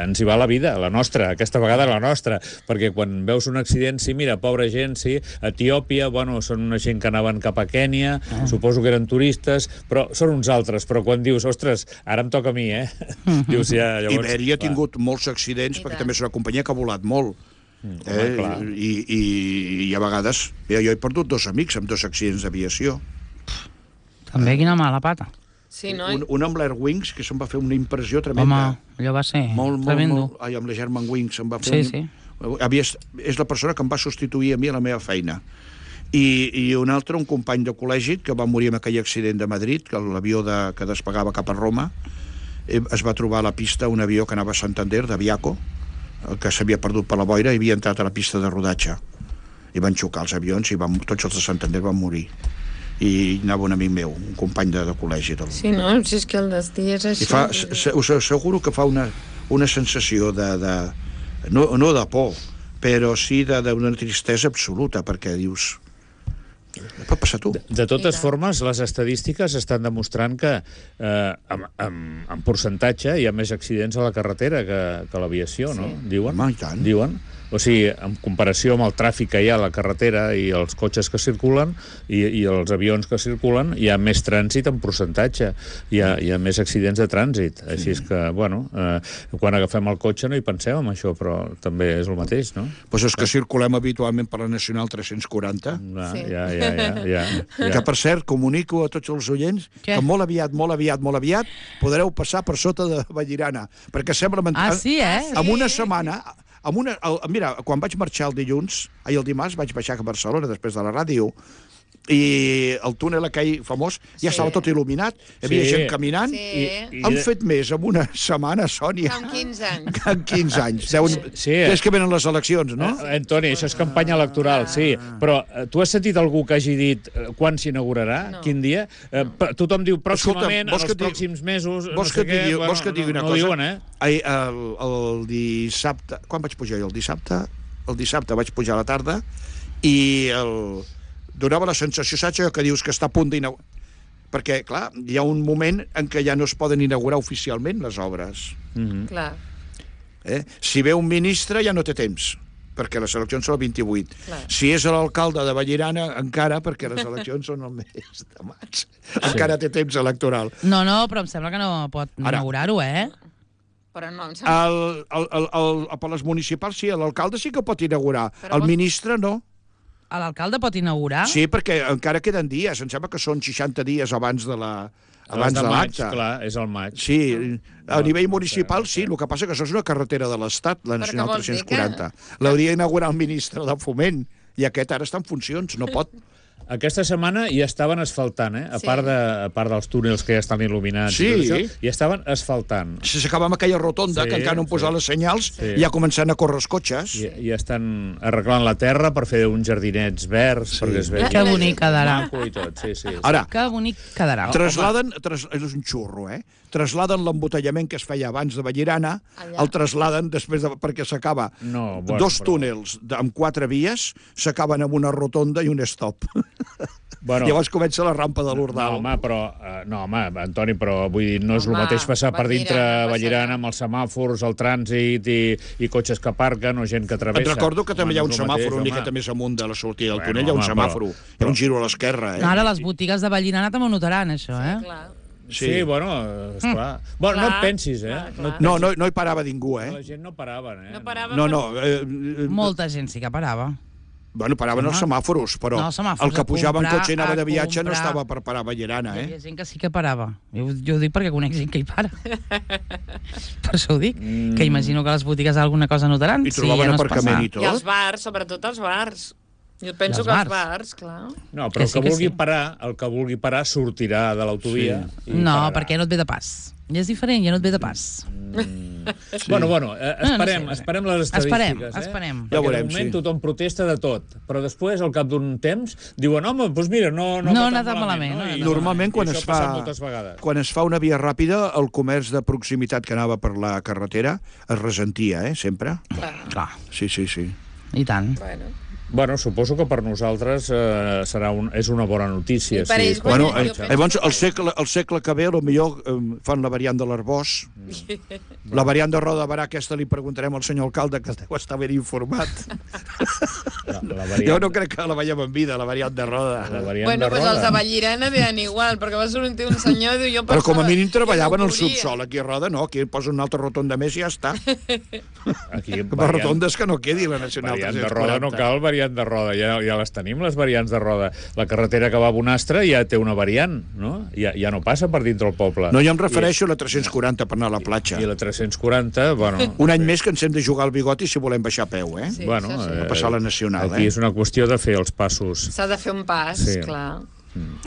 ens hi va la vida, la nostra, aquesta vegada la nostra, perquè quan veus un accident, sí, mira, pobra gent, sí, Etiòpia, bueno, són una gent que anaven cap a Kènia, suposo que eren turistes, però són uns altres, però quan dius, ostres, ara em toca a mi, dius, ja, llavors... Iberia ha tingut molts accidents, perquè també és una companyia que ha volat molt. I a vegades jo he perdut 2 amics amb 2 accidents d'aviació. També quina mala pata. Sí, no? Un amb l'Air Wings, que se'm va fer una impressió tremenda. Home, allò va ser tremendo. Amb la German Wings se'm va fer és la persona que em va substituir a mi a la meva feina. I un altre, un company de col·legi que va morir en aquell accident de Madrid, que l'avió que despegava cap a Roma, es va trobar a la pista un avió que anava a Santander, de Viaco, que s'havia perdut per la boira i havia entrat a la pista de rodatge. I van xocar els avions i tots els de Santander van morir. I anava un amic meu, un company de col·legi. Sí, no? Si és que el destí és així. Us asseguro que fa una sensació no de por, però sí d'una tristesa absoluta, perquè dius... Pot passar tu. De totes formes, les estadístiques estan demostrant que en percentatge hi ha més accidents a la carretera que a l'aviació, no? Diuen? Home, i tant. Diuen. O sigui, en comparació amb el tràfic que hi ha a la carretera i els cotxes que circulen i els avions que circulen, hi ha més trànsit en percentatge, hi ha més accidents de trànsit. Així és que, bueno, quan agafem el cotxe no hi pensem en això, però també és el mateix, no? Doncs és que circulem habitualment per la Nacional 340. Ja. Que, per cert, comunico a tots els oients que molt aviat podreu passar per sota de Vallirana, perquè sembla... En una setmana... Mira, quan vaig marxar el dimarts vaig baixar a Barcelona després de la ràdio i el túnel aquell famós ja estava tot il·luminat, hi havia gent caminant. Han fet més en una setmana, Sònia. En 15 anys. En 15 anys. És que venen les eleccions, no? Antoni, això és campanya electoral, sí. Però tu has sentit algú que hagi dit quan s'inaugurarà? Quin dia? Tothom diu pròximament, en els pròxims mesos, no sé què. Vols que et digui una cosa? No diuen, El dissabte... Quan vaig pujar jo? El dissabte vaig pujar a la tarda i donava la sensació, saps, que dius que està a punt d'inaugurar. Perquè, clar, hi ha un moment en què ja no es poden inaugurar oficialment les obres. Clar. Si ve un ministre ja no té temps, perquè les eleccions són el 28. Si és l'alcalde de Vallirana, encara, perquè les eleccions són el mes de maig. Encara té temps electoral. No, però em sembla que no pot inaugurar-ho, Però no, em sembla... Per les municipals sí, l'alcalde sí que pot inaugurar. El ministre no. L'alcalde pot inaugurar? Sí, perquè encara queden dies. Em sembla que són 60 dies abans de l'acte. Clar, és el maig. Sí, a nivell municipal sí, el que passa que això és una carretera de l'Estat, la Nacional 340. L'hauria d'inaugurar el ministre de Foment, i aquest ara està en funcions, no pot. Aquesta setmana ja estaven asfaltant, a part dels túnels que ja estan il·luminats. Sí. Ja estaven asfaltant. Si s'acaba amb aquella rotonda, que encara no han posat les senyals, ja començant a córrer els cotxes. Ja estan arreglant la terra per fer uns jardinets verds, perquè es vegi... Que bonic quedarà. Ara, que bonic quedarà. És un xurro, trasladen l'embotellament que es feia abans de Vallirana, el trasladen després perquè s'acaba. Dos túnels amb 4 vies s'acaben amb una rotonda i un stop. Llavors comença la rampa de l'Ordal. No, home, Antoni, però vull dir, no és el mateix passar per dintre Vallirana amb els semàfors, el trànsit i cotxes que aparquen o gent que travessa. Et recordo que també hi ha un semàfor una miqueta més amunt de la sortida del túnel, hi ha un semàfor, hi ha un giro a l'esquerra. Ara les botigues de Vallirana també ho notaran, això, Sí, bueno, esclar. Bueno, no et pensis, No hi parava ningú, La gent no parava, No. Molta gent sí que parava. Bueno, paraven els semàforos, però el que pujava en cotxe i anava de viatge no estava per parar a Vallirana, Hi havia gent que sí que parava. Jo ho dic perquè conec gent que hi para. Per això ho dic. Que imagino que les botigues alguna cosa notaran. I trobaven aparcament i tot. I els bars, sobretot els bars. Jo penso que els bars, clar. No, però el que vulgui parar sortirà de l'autovia. No, perquè no et ve de pas. Ja és diferent, ja no et ve de pas. Bueno, esperem les estadístiques. Esperem. Ja Perquè veurem, de moment tothom protesta de tot, però després, al cap d'un temps, diuen, home, doncs mira, no ha anat malament. Normalment, quan es fa una via ràpida, el comerç de proximitat que anava per la carretera es ressentia, sempre. Clar. Sí. I tant. Bueno, suposo que per nosaltres és una bona notícia. Llavors, el segle que ve, potser fan la variant de l'Arbós. La variant de Roda de Barà, aquesta li preguntarem al senyor alcalde, que deu estar ben informat. Jo no crec que la veiem en vida, la variant de Roda. Bueno, doncs els de Vallirana deien igual, perquè va sortir un senyor i diu... Però com a mínim treballaven al subsol, aquí a Roda no, aquí posa una altra rotonda més i ja està. Per rotondes que no quedi la Nacional 340. Variant de Roda no cal, variant de Roda, ja les tenim, les variants de Roda. La carretera que va a Bonastre ja té una variant, no? Ja no passa per dintre el poble. No, jo em refereixo a la 340 per anar a la platja. I la 340, bueno... Un any més que ens hem de jugar al bigoti si volem baixar a peu, Bueno, a passar la Nacional, Aquí és una qüestió de fer els passos. S'ha de fer un pas, clar.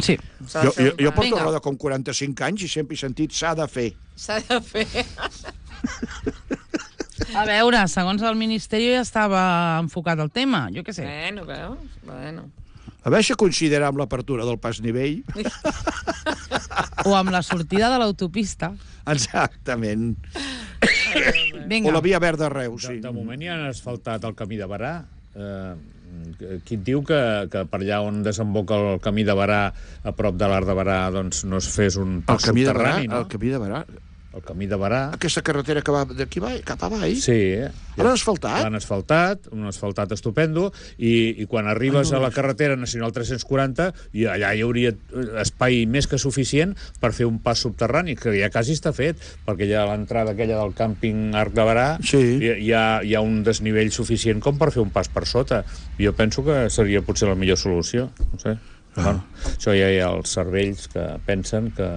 Sí. Jo porto a Roda com 45 anys i sempre he sentit s'ha de fer. S'ha de fer. A veure, segons el Ministeri ja estava enfocat el tema, jo què sé. Bueno. A veure si considera amb l'apertura del pas nivell. O amb la sortida de l'autopista. Exactament. Vinga. O la via verda a Reus, sí. De moment ja han asfaltat el camí de Barà. Qui et diu que per allà on desemboca el camí de Barà, a prop de l'Arc de Barà, doncs no es fes un pas subterrani, no? El camí de Barà? El camí de Barà. Aquesta carretera que va d'aquí cap a avall? Sí. L'han asfaltat? L'han asfaltat, un asfaltat estupendo, i quan arribes a la carretera Nacional 340, i allà hi hauria espai més que suficient per fer un pas subterrani, que ja quasi està fet, perquè ja a l'entrada aquella del càmping Arc de Barà hi ha un desnivell suficient com per fer un pas per sota. Jo penso que seria potser la millor solució. No sé. Bueno, això ja hi ha els cervells que pensen que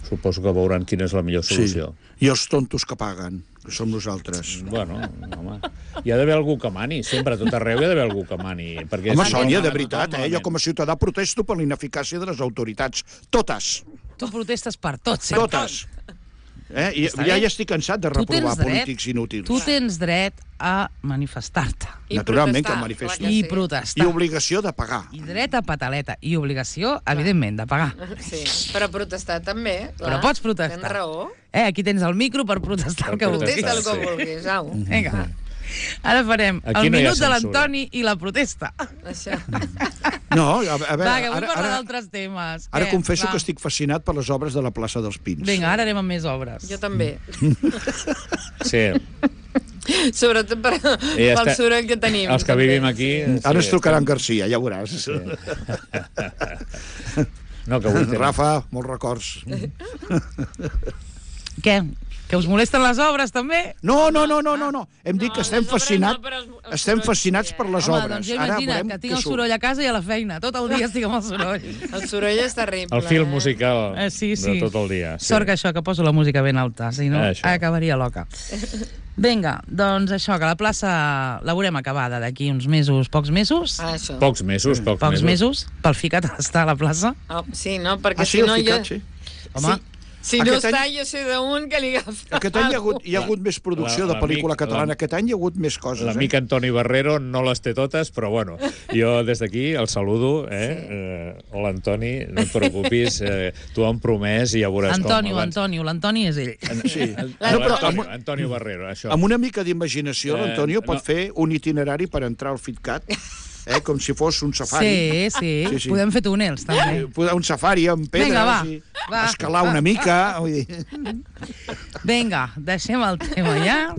suposo que veuran quina és la millor solució. Sí. I els tontos que paguen, que som nosaltres. Bueno, home, hi ha d'haver algú que mani, sempre, a tot arreu hi ha d'haver algú que mani. Home, Sònia, de veritat, jo com a ciutadà protesto per la ineficàcia de les autoritats. Totes. Tu protestes per tots. Totes. I ja estic cansat de reprovar polítics inútils. Tu tens dret a manifestar-te. Naturalment que em manifesto. I protestar. I obligació de pagar. I dret a pataleta. I obligació, evidentment, de pagar. Sí, però protestar també. Però pots protestar. Tens raó. Aquí tens el micro per protestar el que vulguis. Protesta el que vulguis, au. Vinga. Ara farem el minut de l'Antoni i la protesta. Això. No, a veure... Va, que vull parlar d'altres temes. Ara confesso que estic fascinat per les obres de la plaça dels Pins. Vinga, ara anem amb més obres. Jo també. Sí. Sobretot pel soroll que tenim. Els que vivim aquí... Ara ens trucaran Garcia, ja veuràs. No, que avui Rafa, molts records. Què? Que us molesten les obres, també? No. Hem dit que estem fascinats per les obres. Doncs jo imagina't que tinc el soroll a casa i a la feina. Tot el dia estic amb el soroll. El soroll és terrible. El fil musical sí. de tot el dia. Sort que això, que poso la música ben alta, si no acabaria loca. Vinga, doncs això, que la plaça la veurem acabada d'aquí uns mesos, pocs mesos. Pocs mesos. Pocs mesos, pel ficat està a la plaça. Sí, no, perquè si no... Home... Si no està, jo sé d'un que li agafa. Aquest any hi ha hagut més producció de pel·lícula catalana. Aquest any hi ha hagut més coses. L'amic Antoni Barrero no les té totes, però bueno, jo des d'aquí el saludo. Hola, Antoni, no et preocupis, tu em promès i ja veuràs Antonio, l'Antoni és ell. Sí. Antonio Barrero, això. Amb una mica d'imaginació, l'Antonio pot fer un itinerari per entrar al FitCat, com si fos un safari. Sí. Podem fer túnels, també. Un safari amb pedres, escalar una mica. Vinga, deixem el tema ja,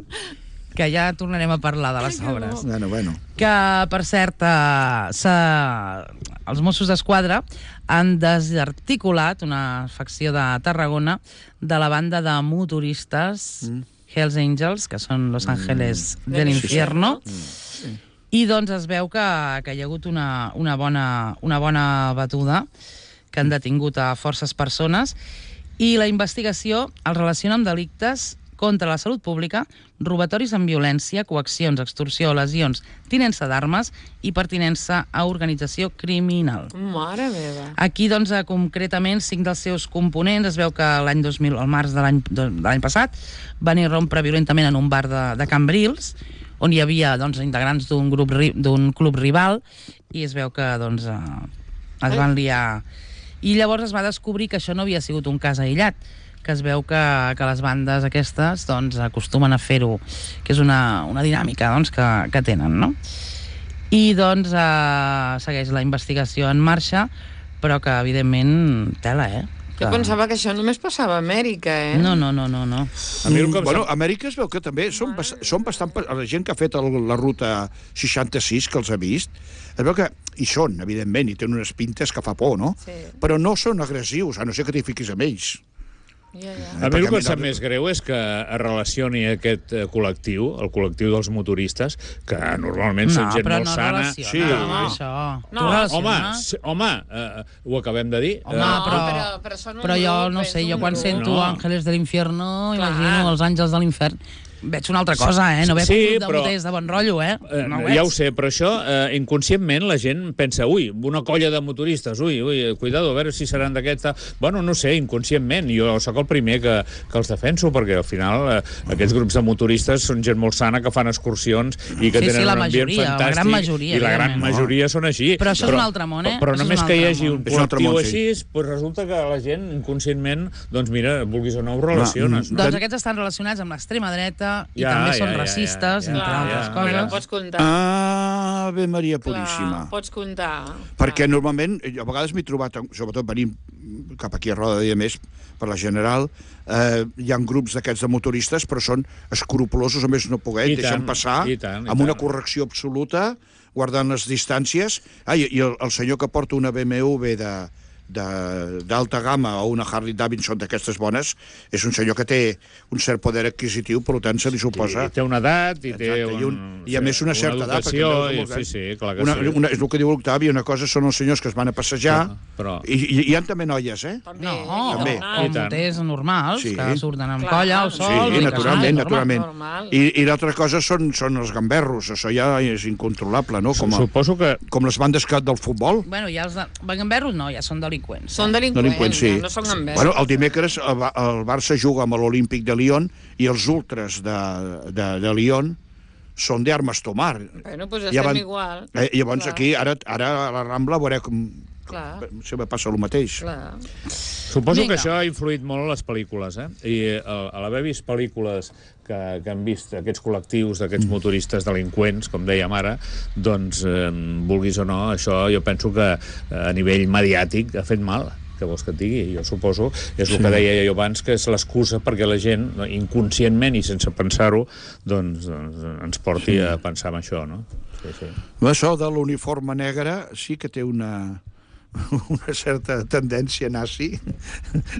que ja tornarem a parlar de les obres. Bueno. Que, per cert, els Mossos d'Esquadra han desarticulat una facció de Tarragona de la banda de motoristes Hells Angels, que són Los Ángeles del Infierno. I doncs es veu que hi ha hagut una bona batuda, que han detingut a forces persones, i la investigació els relaciona amb delictes contra la salut pública, robatoris amb violència, coaccions, extorsió, lesions, tinença d'armes i pertinença a organització criminal. Mare meva. Aquí, doncs, concretament, 5 dels seus components, es veu que l'any 2000, al març de l'any passat, van irrompre violentament en un bar de Cambrils, on hi havia integrants d'un club rival, i es veu que es van liar. I llavors es va descobrir que això no havia sigut un cas aïllat, que es veu que les bandes aquestes acostumen a fer-ho, que és una dinàmica que tenen, no? I segueix la investigació en marxa, però que evidentment tela, Jo pensava que això només passava a Amèrica, No. Bueno, a Amèrica es veu que també són bastant... La gent que ha fet la ruta 66, que els ha vist, es veu que hi són, evidentment, i tenen unes pintes que fa por, no? Sí. Però no són agressius, a no ser que t'hi fiquis amb ells. A mi el que em sap més greu és que es relacioni aquest col·lectiu, el col·lectiu dels motoristes, que normalment són gent molt sana. Home, ho acabem de dir. Però jo no sé, jo quan sento Ángeles del Infierno imagino els àngels de l'infern. Veig una altra cosa, no veig un grup de moters de bon rotllo, Ja ho sé, però això, inconscientment, la gent pensa, una colla de motoristes, cuidado, a veure si seran d'aquests... Bueno, no sé, inconscientment, jo sóc el primer que els defenso, perquè al final aquests grups de motoristes són gent molt sana, que fan excursions i que tenen un ambient fantàstic, i la gran majoria són així. Però això és un altre món, Però només que hi hagi un col·lectiu així, resulta que la gent, inconscientment, doncs mira, vulguis o no, ho relaciones. Doncs aquests estan relacionats amb l'extrema dreta, i també són racistes, entre altres coses. Però pots comptar. Ave Maria Puríssima. Pots comptar. Perquè normalment, a vegades m'he trobat, sobretot venint cap aquí a Roda de Més, per la General, hi ha grups d'aquests de motoristes, però són escrupulosos, a més no poder, deixen passar, amb una correcció absoluta, guardant les distàncies. I el senyor que porta una BMW d'alta gamma o una Harley Davidson d'aquestes bones, és un senyor que té un cert poder adquisitiu, per tant se li suposa... I té una edat, i té i a més una certa edat. Sí, clar que sí. És el que diu l'Octavi, una cosa són els senyors que es van a passejar, i hi ha també noies, eh? No, també. moters normals, que surten amb colla al sol... Sí, naturalment. I l'altra cosa són els gamberros, això ja és incontrolable, no? Suposo que... Com les bandes del futbol. Bueno, ja els gamberros no, ja són delinqüents. Són delinqüents, sí. no són gamberros. Bueno, el dimecres el Barça juga amb l'Olímpic de Lyon i els ultras de Lyon són d'armes tomar. Bueno, doncs estem igual. Llavors aquí, ara a la Rambla veureu com... Sempre passa el mateix. Suposo que això ha influït molt a les pel·lícules, I a l'haver vist pel·lícules que han vist aquests col·lectius d'aquests motoristes delinqüents, com dèiem ara, doncs, vulguis o no, això jo penso que a nivell mediàtic ha fet mal. Què vols que et digui? Jo suposo, és el que deia jo abans, que és l'excusa perquè la gent, inconscientment i sense pensar-ho, doncs ens porti a pensar en això, no? Sí. Això de l'uniforme negre sí que té una certa tendència nazi,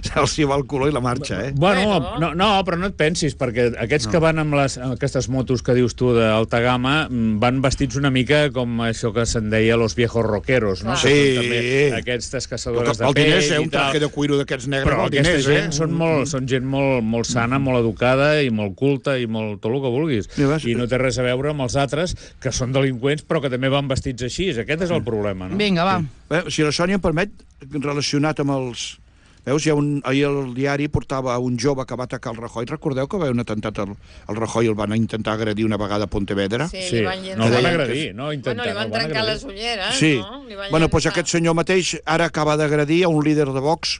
se'ls hi va el color i la marxa, Bueno, no, però no et pensis, perquè aquests que van amb aquestes motos que dius tu d'alta gamma van vestits una mica com això que se'n deia los viejos rockeros, no? Sí. Aquestes caçadores de pell i tal. un traje de cuiro d'aquests negres. Però aquesta gent són gent molt sana, molt educada i molt culta i molt tot el que vulguis. I no té res a veure amb els altres que són delinqüents però que també van vestits així. Aquest és el problema, no? Vinga, va. Si la Sònia em permet, relacionat amb els... Veus, ahir el diari portava un jove que va atacar el Rajoy. Recordeu que va haver un atemptat al Rajoy i el van intentar agredir una vegada a Pontevedra? Sí, no el van agredir, no intentar. Bueno, li van trencar les ulleres, sí. No? Bueno, doncs aquest senyor mateix ara acaba d'agredir a un líder de Vox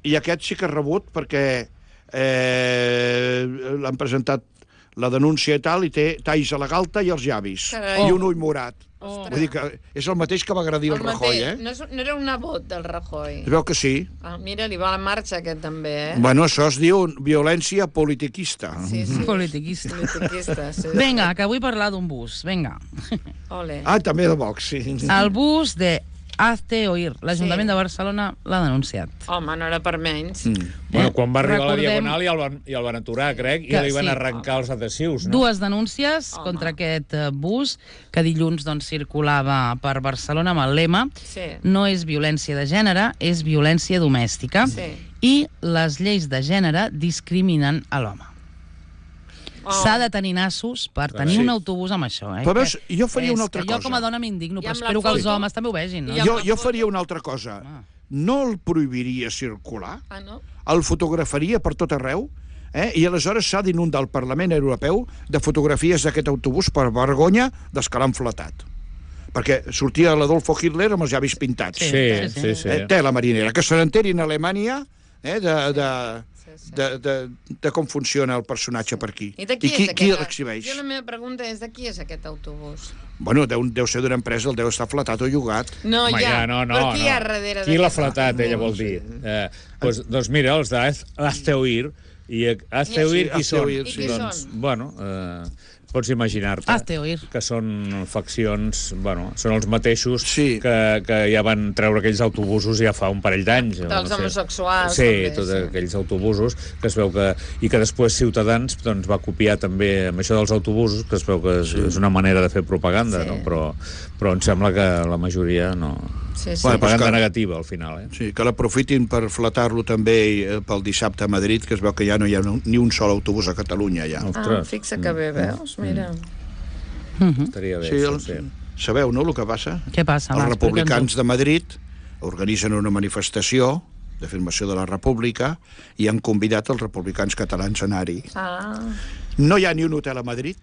i aquest sí que ha rebut perquè l'han presentat la denúncia i tal, i té talls a la galta i els llavis. I un ull morat. Vull dir que és el mateix que va agredir el Rajoy, No era un nebot del Rajoy. Es veu que sí. Mira, li va a la marxa aquest també, Bueno, això es diu violència politiquista. Sí. Politiquista. Sí. Vinga, que vull parlar d'un bus, vinga. Ole. També de Vox, sí. El bus de Hazte Oír. L'Ajuntament de Barcelona l'ha denunciat. Home, no era per menys. Bueno, quan va arribar a la Diagonal i el van aturar, crec, i li van arrencar els adhesius, no? Dues denúncies contra aquest bus que dilluns circulava per Barcelona amb el lema no és violència de gènere, és violència domèstica. I les lleis de gènere discriminen a l'home. S'ha de tenir nassos per tenir un autobús amb això. Però veus, jo faria una altra cosa. Jo com a dona m'indigno, però espero que els homes també ho vegin. Jo faria una altra cosa. No el prohibiria circular, el fotografaria per tot arreu, i aleshores s'ha d'inundar el Parlament Europeu de fotografies d'aquest autobús per vergonya dels que l'han flatat. Perquè sortia l'Adolfo Hitler amb els llavis pintats. Sí. Tela marinera. Que se n'enterin a Alemanya de com funciona el personatge per aquí. I qui l'exhibeix? La meva pregunta és de qui és aquest autobús? Bueno, deu ser d'una empresa, el deu estar flatat o llogat. No, però qui hi ha darrere? Qui l'ha flatat, ella vol dir? Doncs mira, els d'Hazte Oír. I Hazte Oír qui són? Doncs, bueno... Pots imaginar-te que són faccions, bueno, són els mateixos que ja van treure aquells autobusos ja fa un parell d'anys. Dels homosexuals. Sí, tots aquells autobusos que es veu que... I que després Ciutadans va copiar també amb això dels autobusos, que es veu que és una manera de fer propaganda, no? Però em sembla que la majoria no... Propaganda negativa, al final. Sí, que l'aprofitin per flatar-lo també pel dissabte a Madrid, que es veu que ja no hi ha ni un sol autobús a Catalunya, ja. Fixa que bé, veus? Mira. Estaria bé, sí. Sabeu, no, el que passa? Què passa? Els republicans de Madrid organitzen una manifestació d'afirmació de la República i han convidat els republicans catalans a anar-hi. No hi ha ni un hotel a Madrid,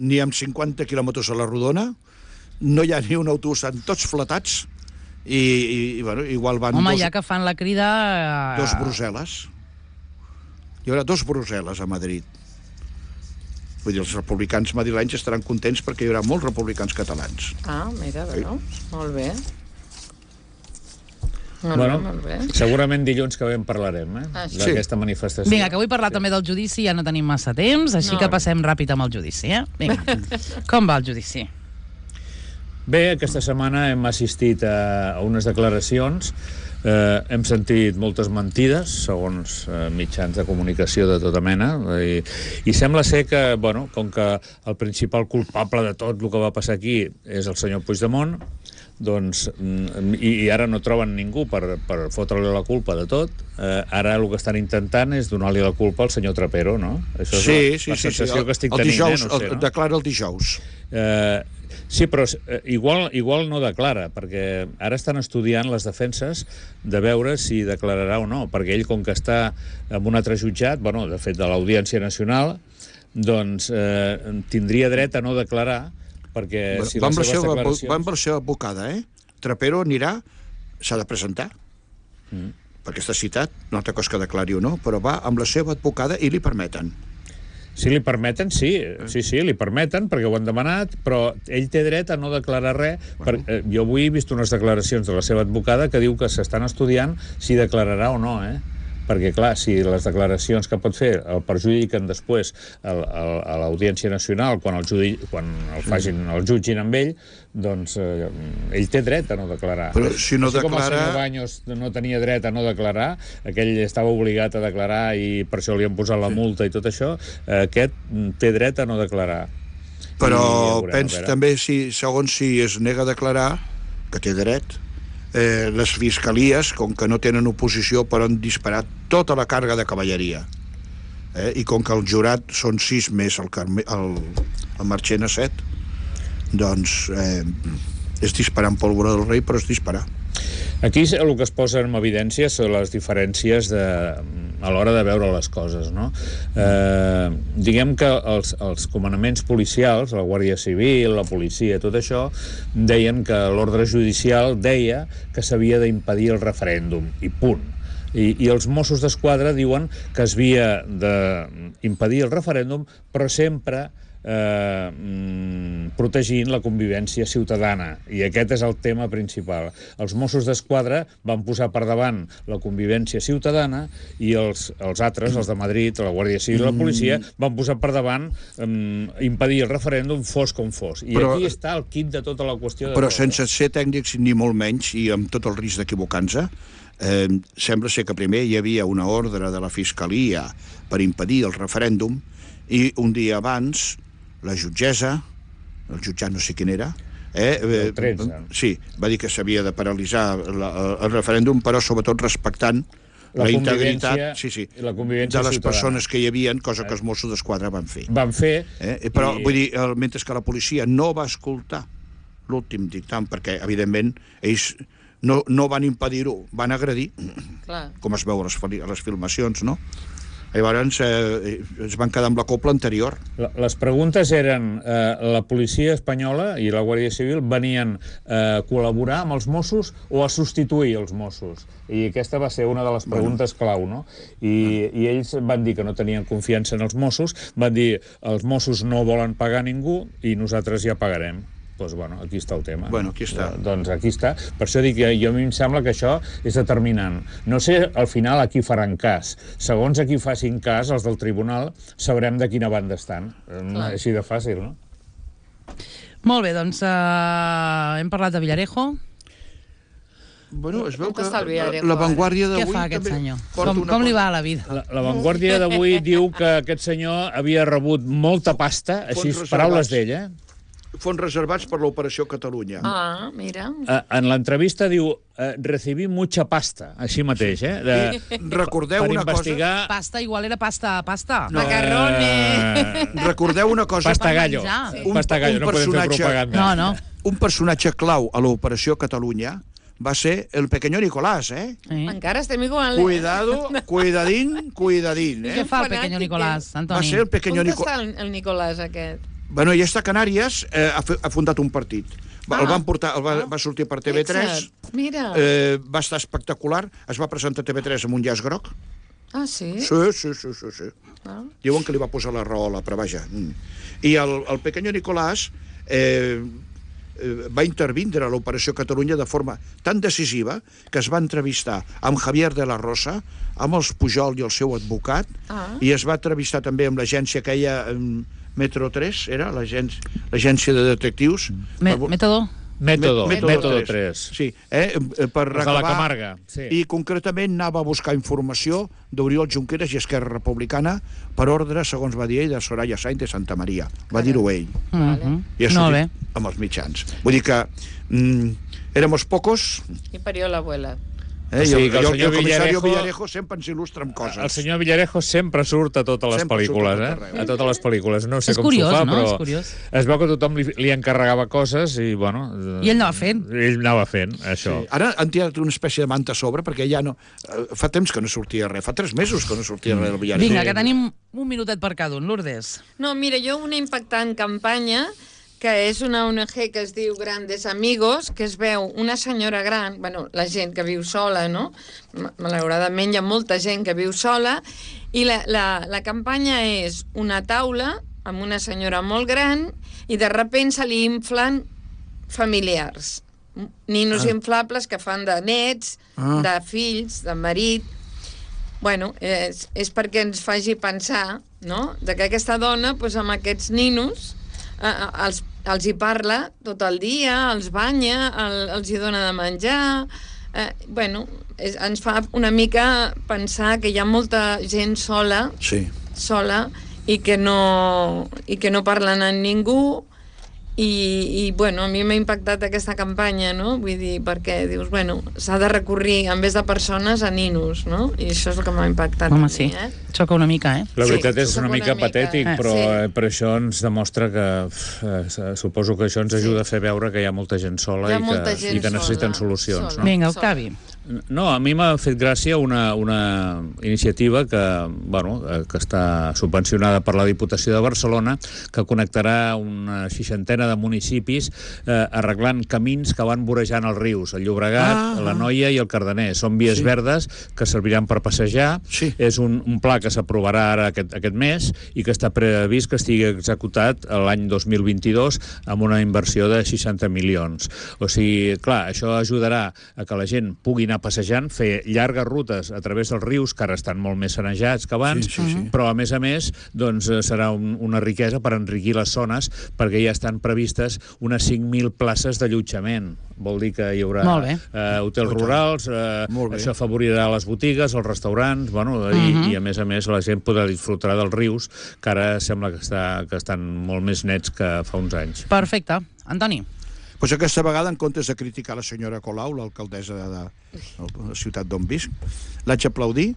ni amb 50 quilòmetres a la rodona, no hi ha ni un autobús, estan tots flatats i bueno, igual van... Home, ja que fan la crida... Dos Brussel·les. Hi haurà dos Brussel·les a Madrid. Vull dir, els republicans madrilenys estaran contents perquè hi haurà molts republicans catalans. Mira, veus? Molt bé. Molt bé. Segurament dilluns que ve en parlarem, d'aquesta manifestació. Vinga, que vull parlar també del judici, ja no tenim massa temps, així que passem ràpid amb el judici, Vinga. Com va el judici? Bé, aquesta setmana hem assistit a unes declaracions Hem sentit moltes mentides, segons mitjans de comunicació de tota mena, i sembla ser que, bueno, com que el principal culpable de tot el que va passar aquí és el senyor Puigdemont, doncs, i ara no troben ningú per fotre-li la culpa de tot, ara el que estan intentant és donar-li la culpa al senyor Trapero, no? Això és la sensació que estic tenint, dijous, no sé, no? Declara el dijous. Sí, però igual no declara, perquè ara estan estudiant les defenses de veure si declararà o no, perquè ell, com que està en un altre jutjat, bueno, de fet, de l'Audiència Nacional, doncs tindria dret a no declarar, perquè si les seves declaracions... Va amb la seva advocada, Trapero anirà, s'ha de presentar, perquè està citat, no altra cosa que declari o no, però va amb la seva advocada i li permeten. Si li permeten, sí, li permeten, perquè ho han demanat, però ell té dret a no declarar res. Jo avui he vist unes declaracions de la seva advocada que diu que s'estan estudiant si declararà o no, perquè, clar, si les declaracions que pot fer el perjudiquen després a l'Audiència Nacional quan el jutgin amb ell, doncs ell té dret a no declarar. Però si no declara... Com el senyor Baños no tenia dret a no declarar, aquell estava obligat a declarar i per això li han posat la multa i tot això, aquest té dret a no declarar. Però pensa també, segons si es nega a declarar, que té dret, les fiscalies, com que no tenen oposició, poden disparar tota la càrrega de cavalleria. I com que el jurat són 6 més el Marchena 7, doncs és disparar en pólvora del rei, però és disparar. Aquí el que es posa en evidència són les diferències a l'hora de veure les coses, no? Diguem que els comandaments policials, la Guàrdia Civil, la policia, tot això, deien que l'ordre judicial deia que s'havia d'impedir el referèndum, i punt. I els Mossos d'Esquadra diuen que s'havia d'impedir el referèndum, però sempre protegint la convivència ciutadana, i aquest és el tema principal. Els Mossos d'Esquadra van posar per davant la convivència ciutadana i els altres, els de Madrid, la Guàrdia Civil i la policia, van posar per davant impedir el referèndum fos com fos. I aquí està el quid de tota la qüestió. Però sense ser tècnics ni molt menys, i amb tot el risc d'equivocar-nos, sembla ser que primer hi havia una ordre de la Fiscalia per impedir el referèndum, i un dia abans la jutgessa, el jutjat no sé quin era, el 13. Sí, va dir que s'havia de paralitzar el referèndum, però sobretot respectant la integritat de les persones que hi havia, cosa que els Mossos d'Esquadra van fer. Però, vull dir, mentre que la policia no va escoltar l'últim dictamen, perquè, evidentment, ells no van impedir-ho, van agredir, com es veu a les filmacions, no? Llavors es van quedar amb la copla anterior. Les preguntes eren, la policia espanyola i la Guàrdia Civil venien a col·laborar amb els Mossos o a substituir els Mossos? I aquesta va ser una de les preguntes clau, no? I ells van dir que no tenien confiança en els Mossos, van dir els Mossos no volen pagar ningú i nosaltres ja pagarem. Doncs, bueno, aquí està el tema. Bueno, aquí està. Doncs aquí està. Per això dic que a mi em sembla que això és determinant. No sé, al final, a qui faran cas. Segons a qui facin cas, els del tribunal, sabrem de quina banda estan. Així de fàcil, no? Molt bé, doncs hem parlat de Villarejo. Bueno, es veu que la Vanguardia d'avui... Què fa aquest senyor? Com li va a la vida? La Vanguardia d'avui diu que aquest senyor havia rebut molta pasta, així, paraules d'ell, fons reservats per l'Operació Catalunya. Ah, mira. En l'entrevista diu recibí mucha pasta, així mateix, Recordeu una cosa... Pasta igual era pasta. Macarrones. Recordeu una cosa... Pasta gallo. Pasta gallo, no podem fer propaganda. No. Un personatge clau a l'Operació Catalunya va ser el pequeño Nicolás, Encara estem igual, Cuidado, cuidadín. Què fa el pequeño Nicolás, Antoni? Va ser el pequeño Nicolás. On està el Nicolás, aquest? Bueno, ja està a Canàries, ha fundat un partit. El van portar, va sortir per TV3. Mira. Va estar espectacular. Es va presentar a TV3 amb un llaç groc. Ah, sí? Sí. Diuen que li va posar la raola, però vaja. I el pequeño Nicolás va intervindre a l'Operació Catalunya de forma tan decisiva que es va entrevistar amb Javier de la Rosa, amb els Pujol i el seu advocat, i es va entrevistar també amb l'agència que Metro 3, era l'agència de detectius. Método? Método 3. Sí, per Els de la acabar... Camarga, sí. I concretament anava a buscar informació d'Oriol Junqueras i Esquerra Republicana per ordre, segons va dir ell, de Soraya Sainz de Santa Maria. Va dir-ho ell. I això Molt bé. amb els mitjans. Vull dir que éramos pocos... I parió l'abuela. I sigui que el el senyor comissari Villarejo- Villarejo sempre ens il·lustra amb coses. El senyor Villarejo sempre surt a totes les Sempre surt pel·lícules, a tot arreu. A totes les pel·lícules. No sé És com curiós, s'ho fa, no? però És curiós. es veu que tothom li encarregava coses i, bueno... I ell anava fent. Ell anava fent, això. Sí. Ara han tirat una espècie de manta a sobre perquè ja no... Fa temps que no sortia res, fa 3 mesos que no sortia res del Villarejo. Vinga, que tenim un minutet per cada un. Lourdes. No, mira, jo una impactant campanya que és una ONG que es diu Grandes Amigos, que es veu una senyora gran, bueno, la gent que viu sola, no? Malauradament hi ha molta gent que viu sola, i la campanya és una taula amb una senyora molt gran i de sobte se li inflen familiars. Ninos inflables que fan de nets, de fills, de marit. Bueno, és perquè ens faci pensar, no?, de que aquesta dona, doncs, amb aquests ninos, els hi parla tot el dia, els banya, els hi dona de menjar... Bueno, ens fa una mica pensar que hi ha molta gent sola, sola, i que no parlen amb ningú, i bueno, a mi m'ha impactat aquesta campanya, no? Vull dir, perquè dius, bueno, s'ha de recurrir en vez de persones a ninos, no? I això és el que m'ha impactat. Home, sí, xoca una mica, eh? La veritat és xoca una mica patètic, però sí. això ens demostra que suposo que això ens ajuda a fer veure que hi ha molta gent sola i que necessiten solucions. No? Vinga, Octavi. No, a mi m'ha fet gràcia una iniciativa que està subvencionada per la Diputació de Barcelona, que connectarà una 60ena de municipis arreglant camins que van vorejant els rius, el Llobregat, la Noia i el Cardener. Són vies verdes que serviran per passejar. És un pla que s'aprovarà ara aquest mes i que està previst que estigui executat l'any 2022 amb una inversió de 60 milions. O sigui, clar, això ajudarà a que la gent pugui anar passejant, fer llargues rutes a través dels rius, que ara estan molt més sanejats que abans, però a més, doncs, serà una riquesa per enriquir les zones, perquè ja estan previstes unes 5.000 places d'allotjament. Vol dir que hi haurà hotels rurals, això afavorirà les botigues, els restaurants, i a més la gent podrà disfrutar dels rius, que ara sembla que estan molt més nets que fa uns anys. Perfecte. Antoni. Doncs aquesta vegada, en comptes de criticar la senyora Colau, l'alcaldessa de la ciutat d'on visc, l'haig aplaudir,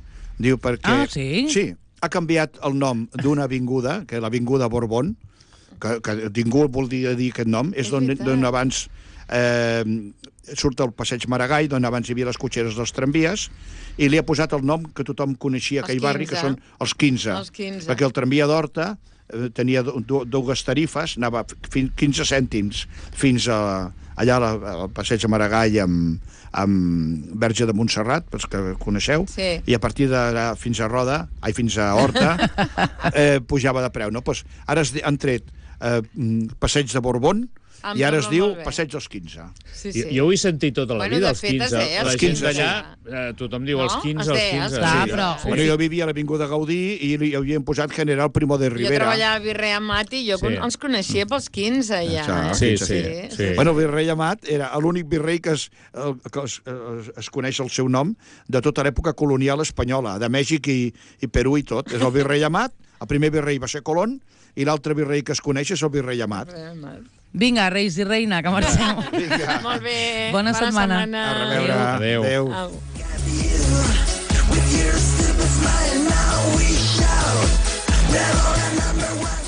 diu perquè... Sí, ha canviat el nom d'una avinguda, que és l'avinguda Borbón, que ningú vol dir aquest nom, és d'on abans surt el passeig Maragall, d'on abans hi havia les cotxeres dels tramvies, i li ha posat el nom que tothom coneixia a aquell barri, que són els 15, perquè el tramvia d'Horta tenia dues tarifes, anava 15 cèntims fins allà al passeig de Maragall amb Verge de Montserrat, pels que coneixeu, i a partir d'allà fins a Horta pujava de preu. Ara han tret passeig de Borbón, i ara es diu Passeig dels 15. Jo ho he sentit tota la vida, els 15. La gent d'allà, tothom diu els 15, els 15. Jo vivia a l'Avinguda Gaudí i hi havien posat General Primo de Rivera. Jo treballava a Virrei Amat i jo els coneixia pels 15, ja. Sí. Bueno, Virrei Amat era l'únic virrei que es coneix el seu nom de tota l'època colonial espanyola, de Mèxic i Perú i tot. És el Virrei Amat, el primer virrei va ser Colón, i l'altre virrei que es coneix és el Virrei Amat. Vinga, reis i reina, que marxem. Molt bé. Bona setmana. A reveure. Adéu. With your stupid smile, now we shout. Never a number one.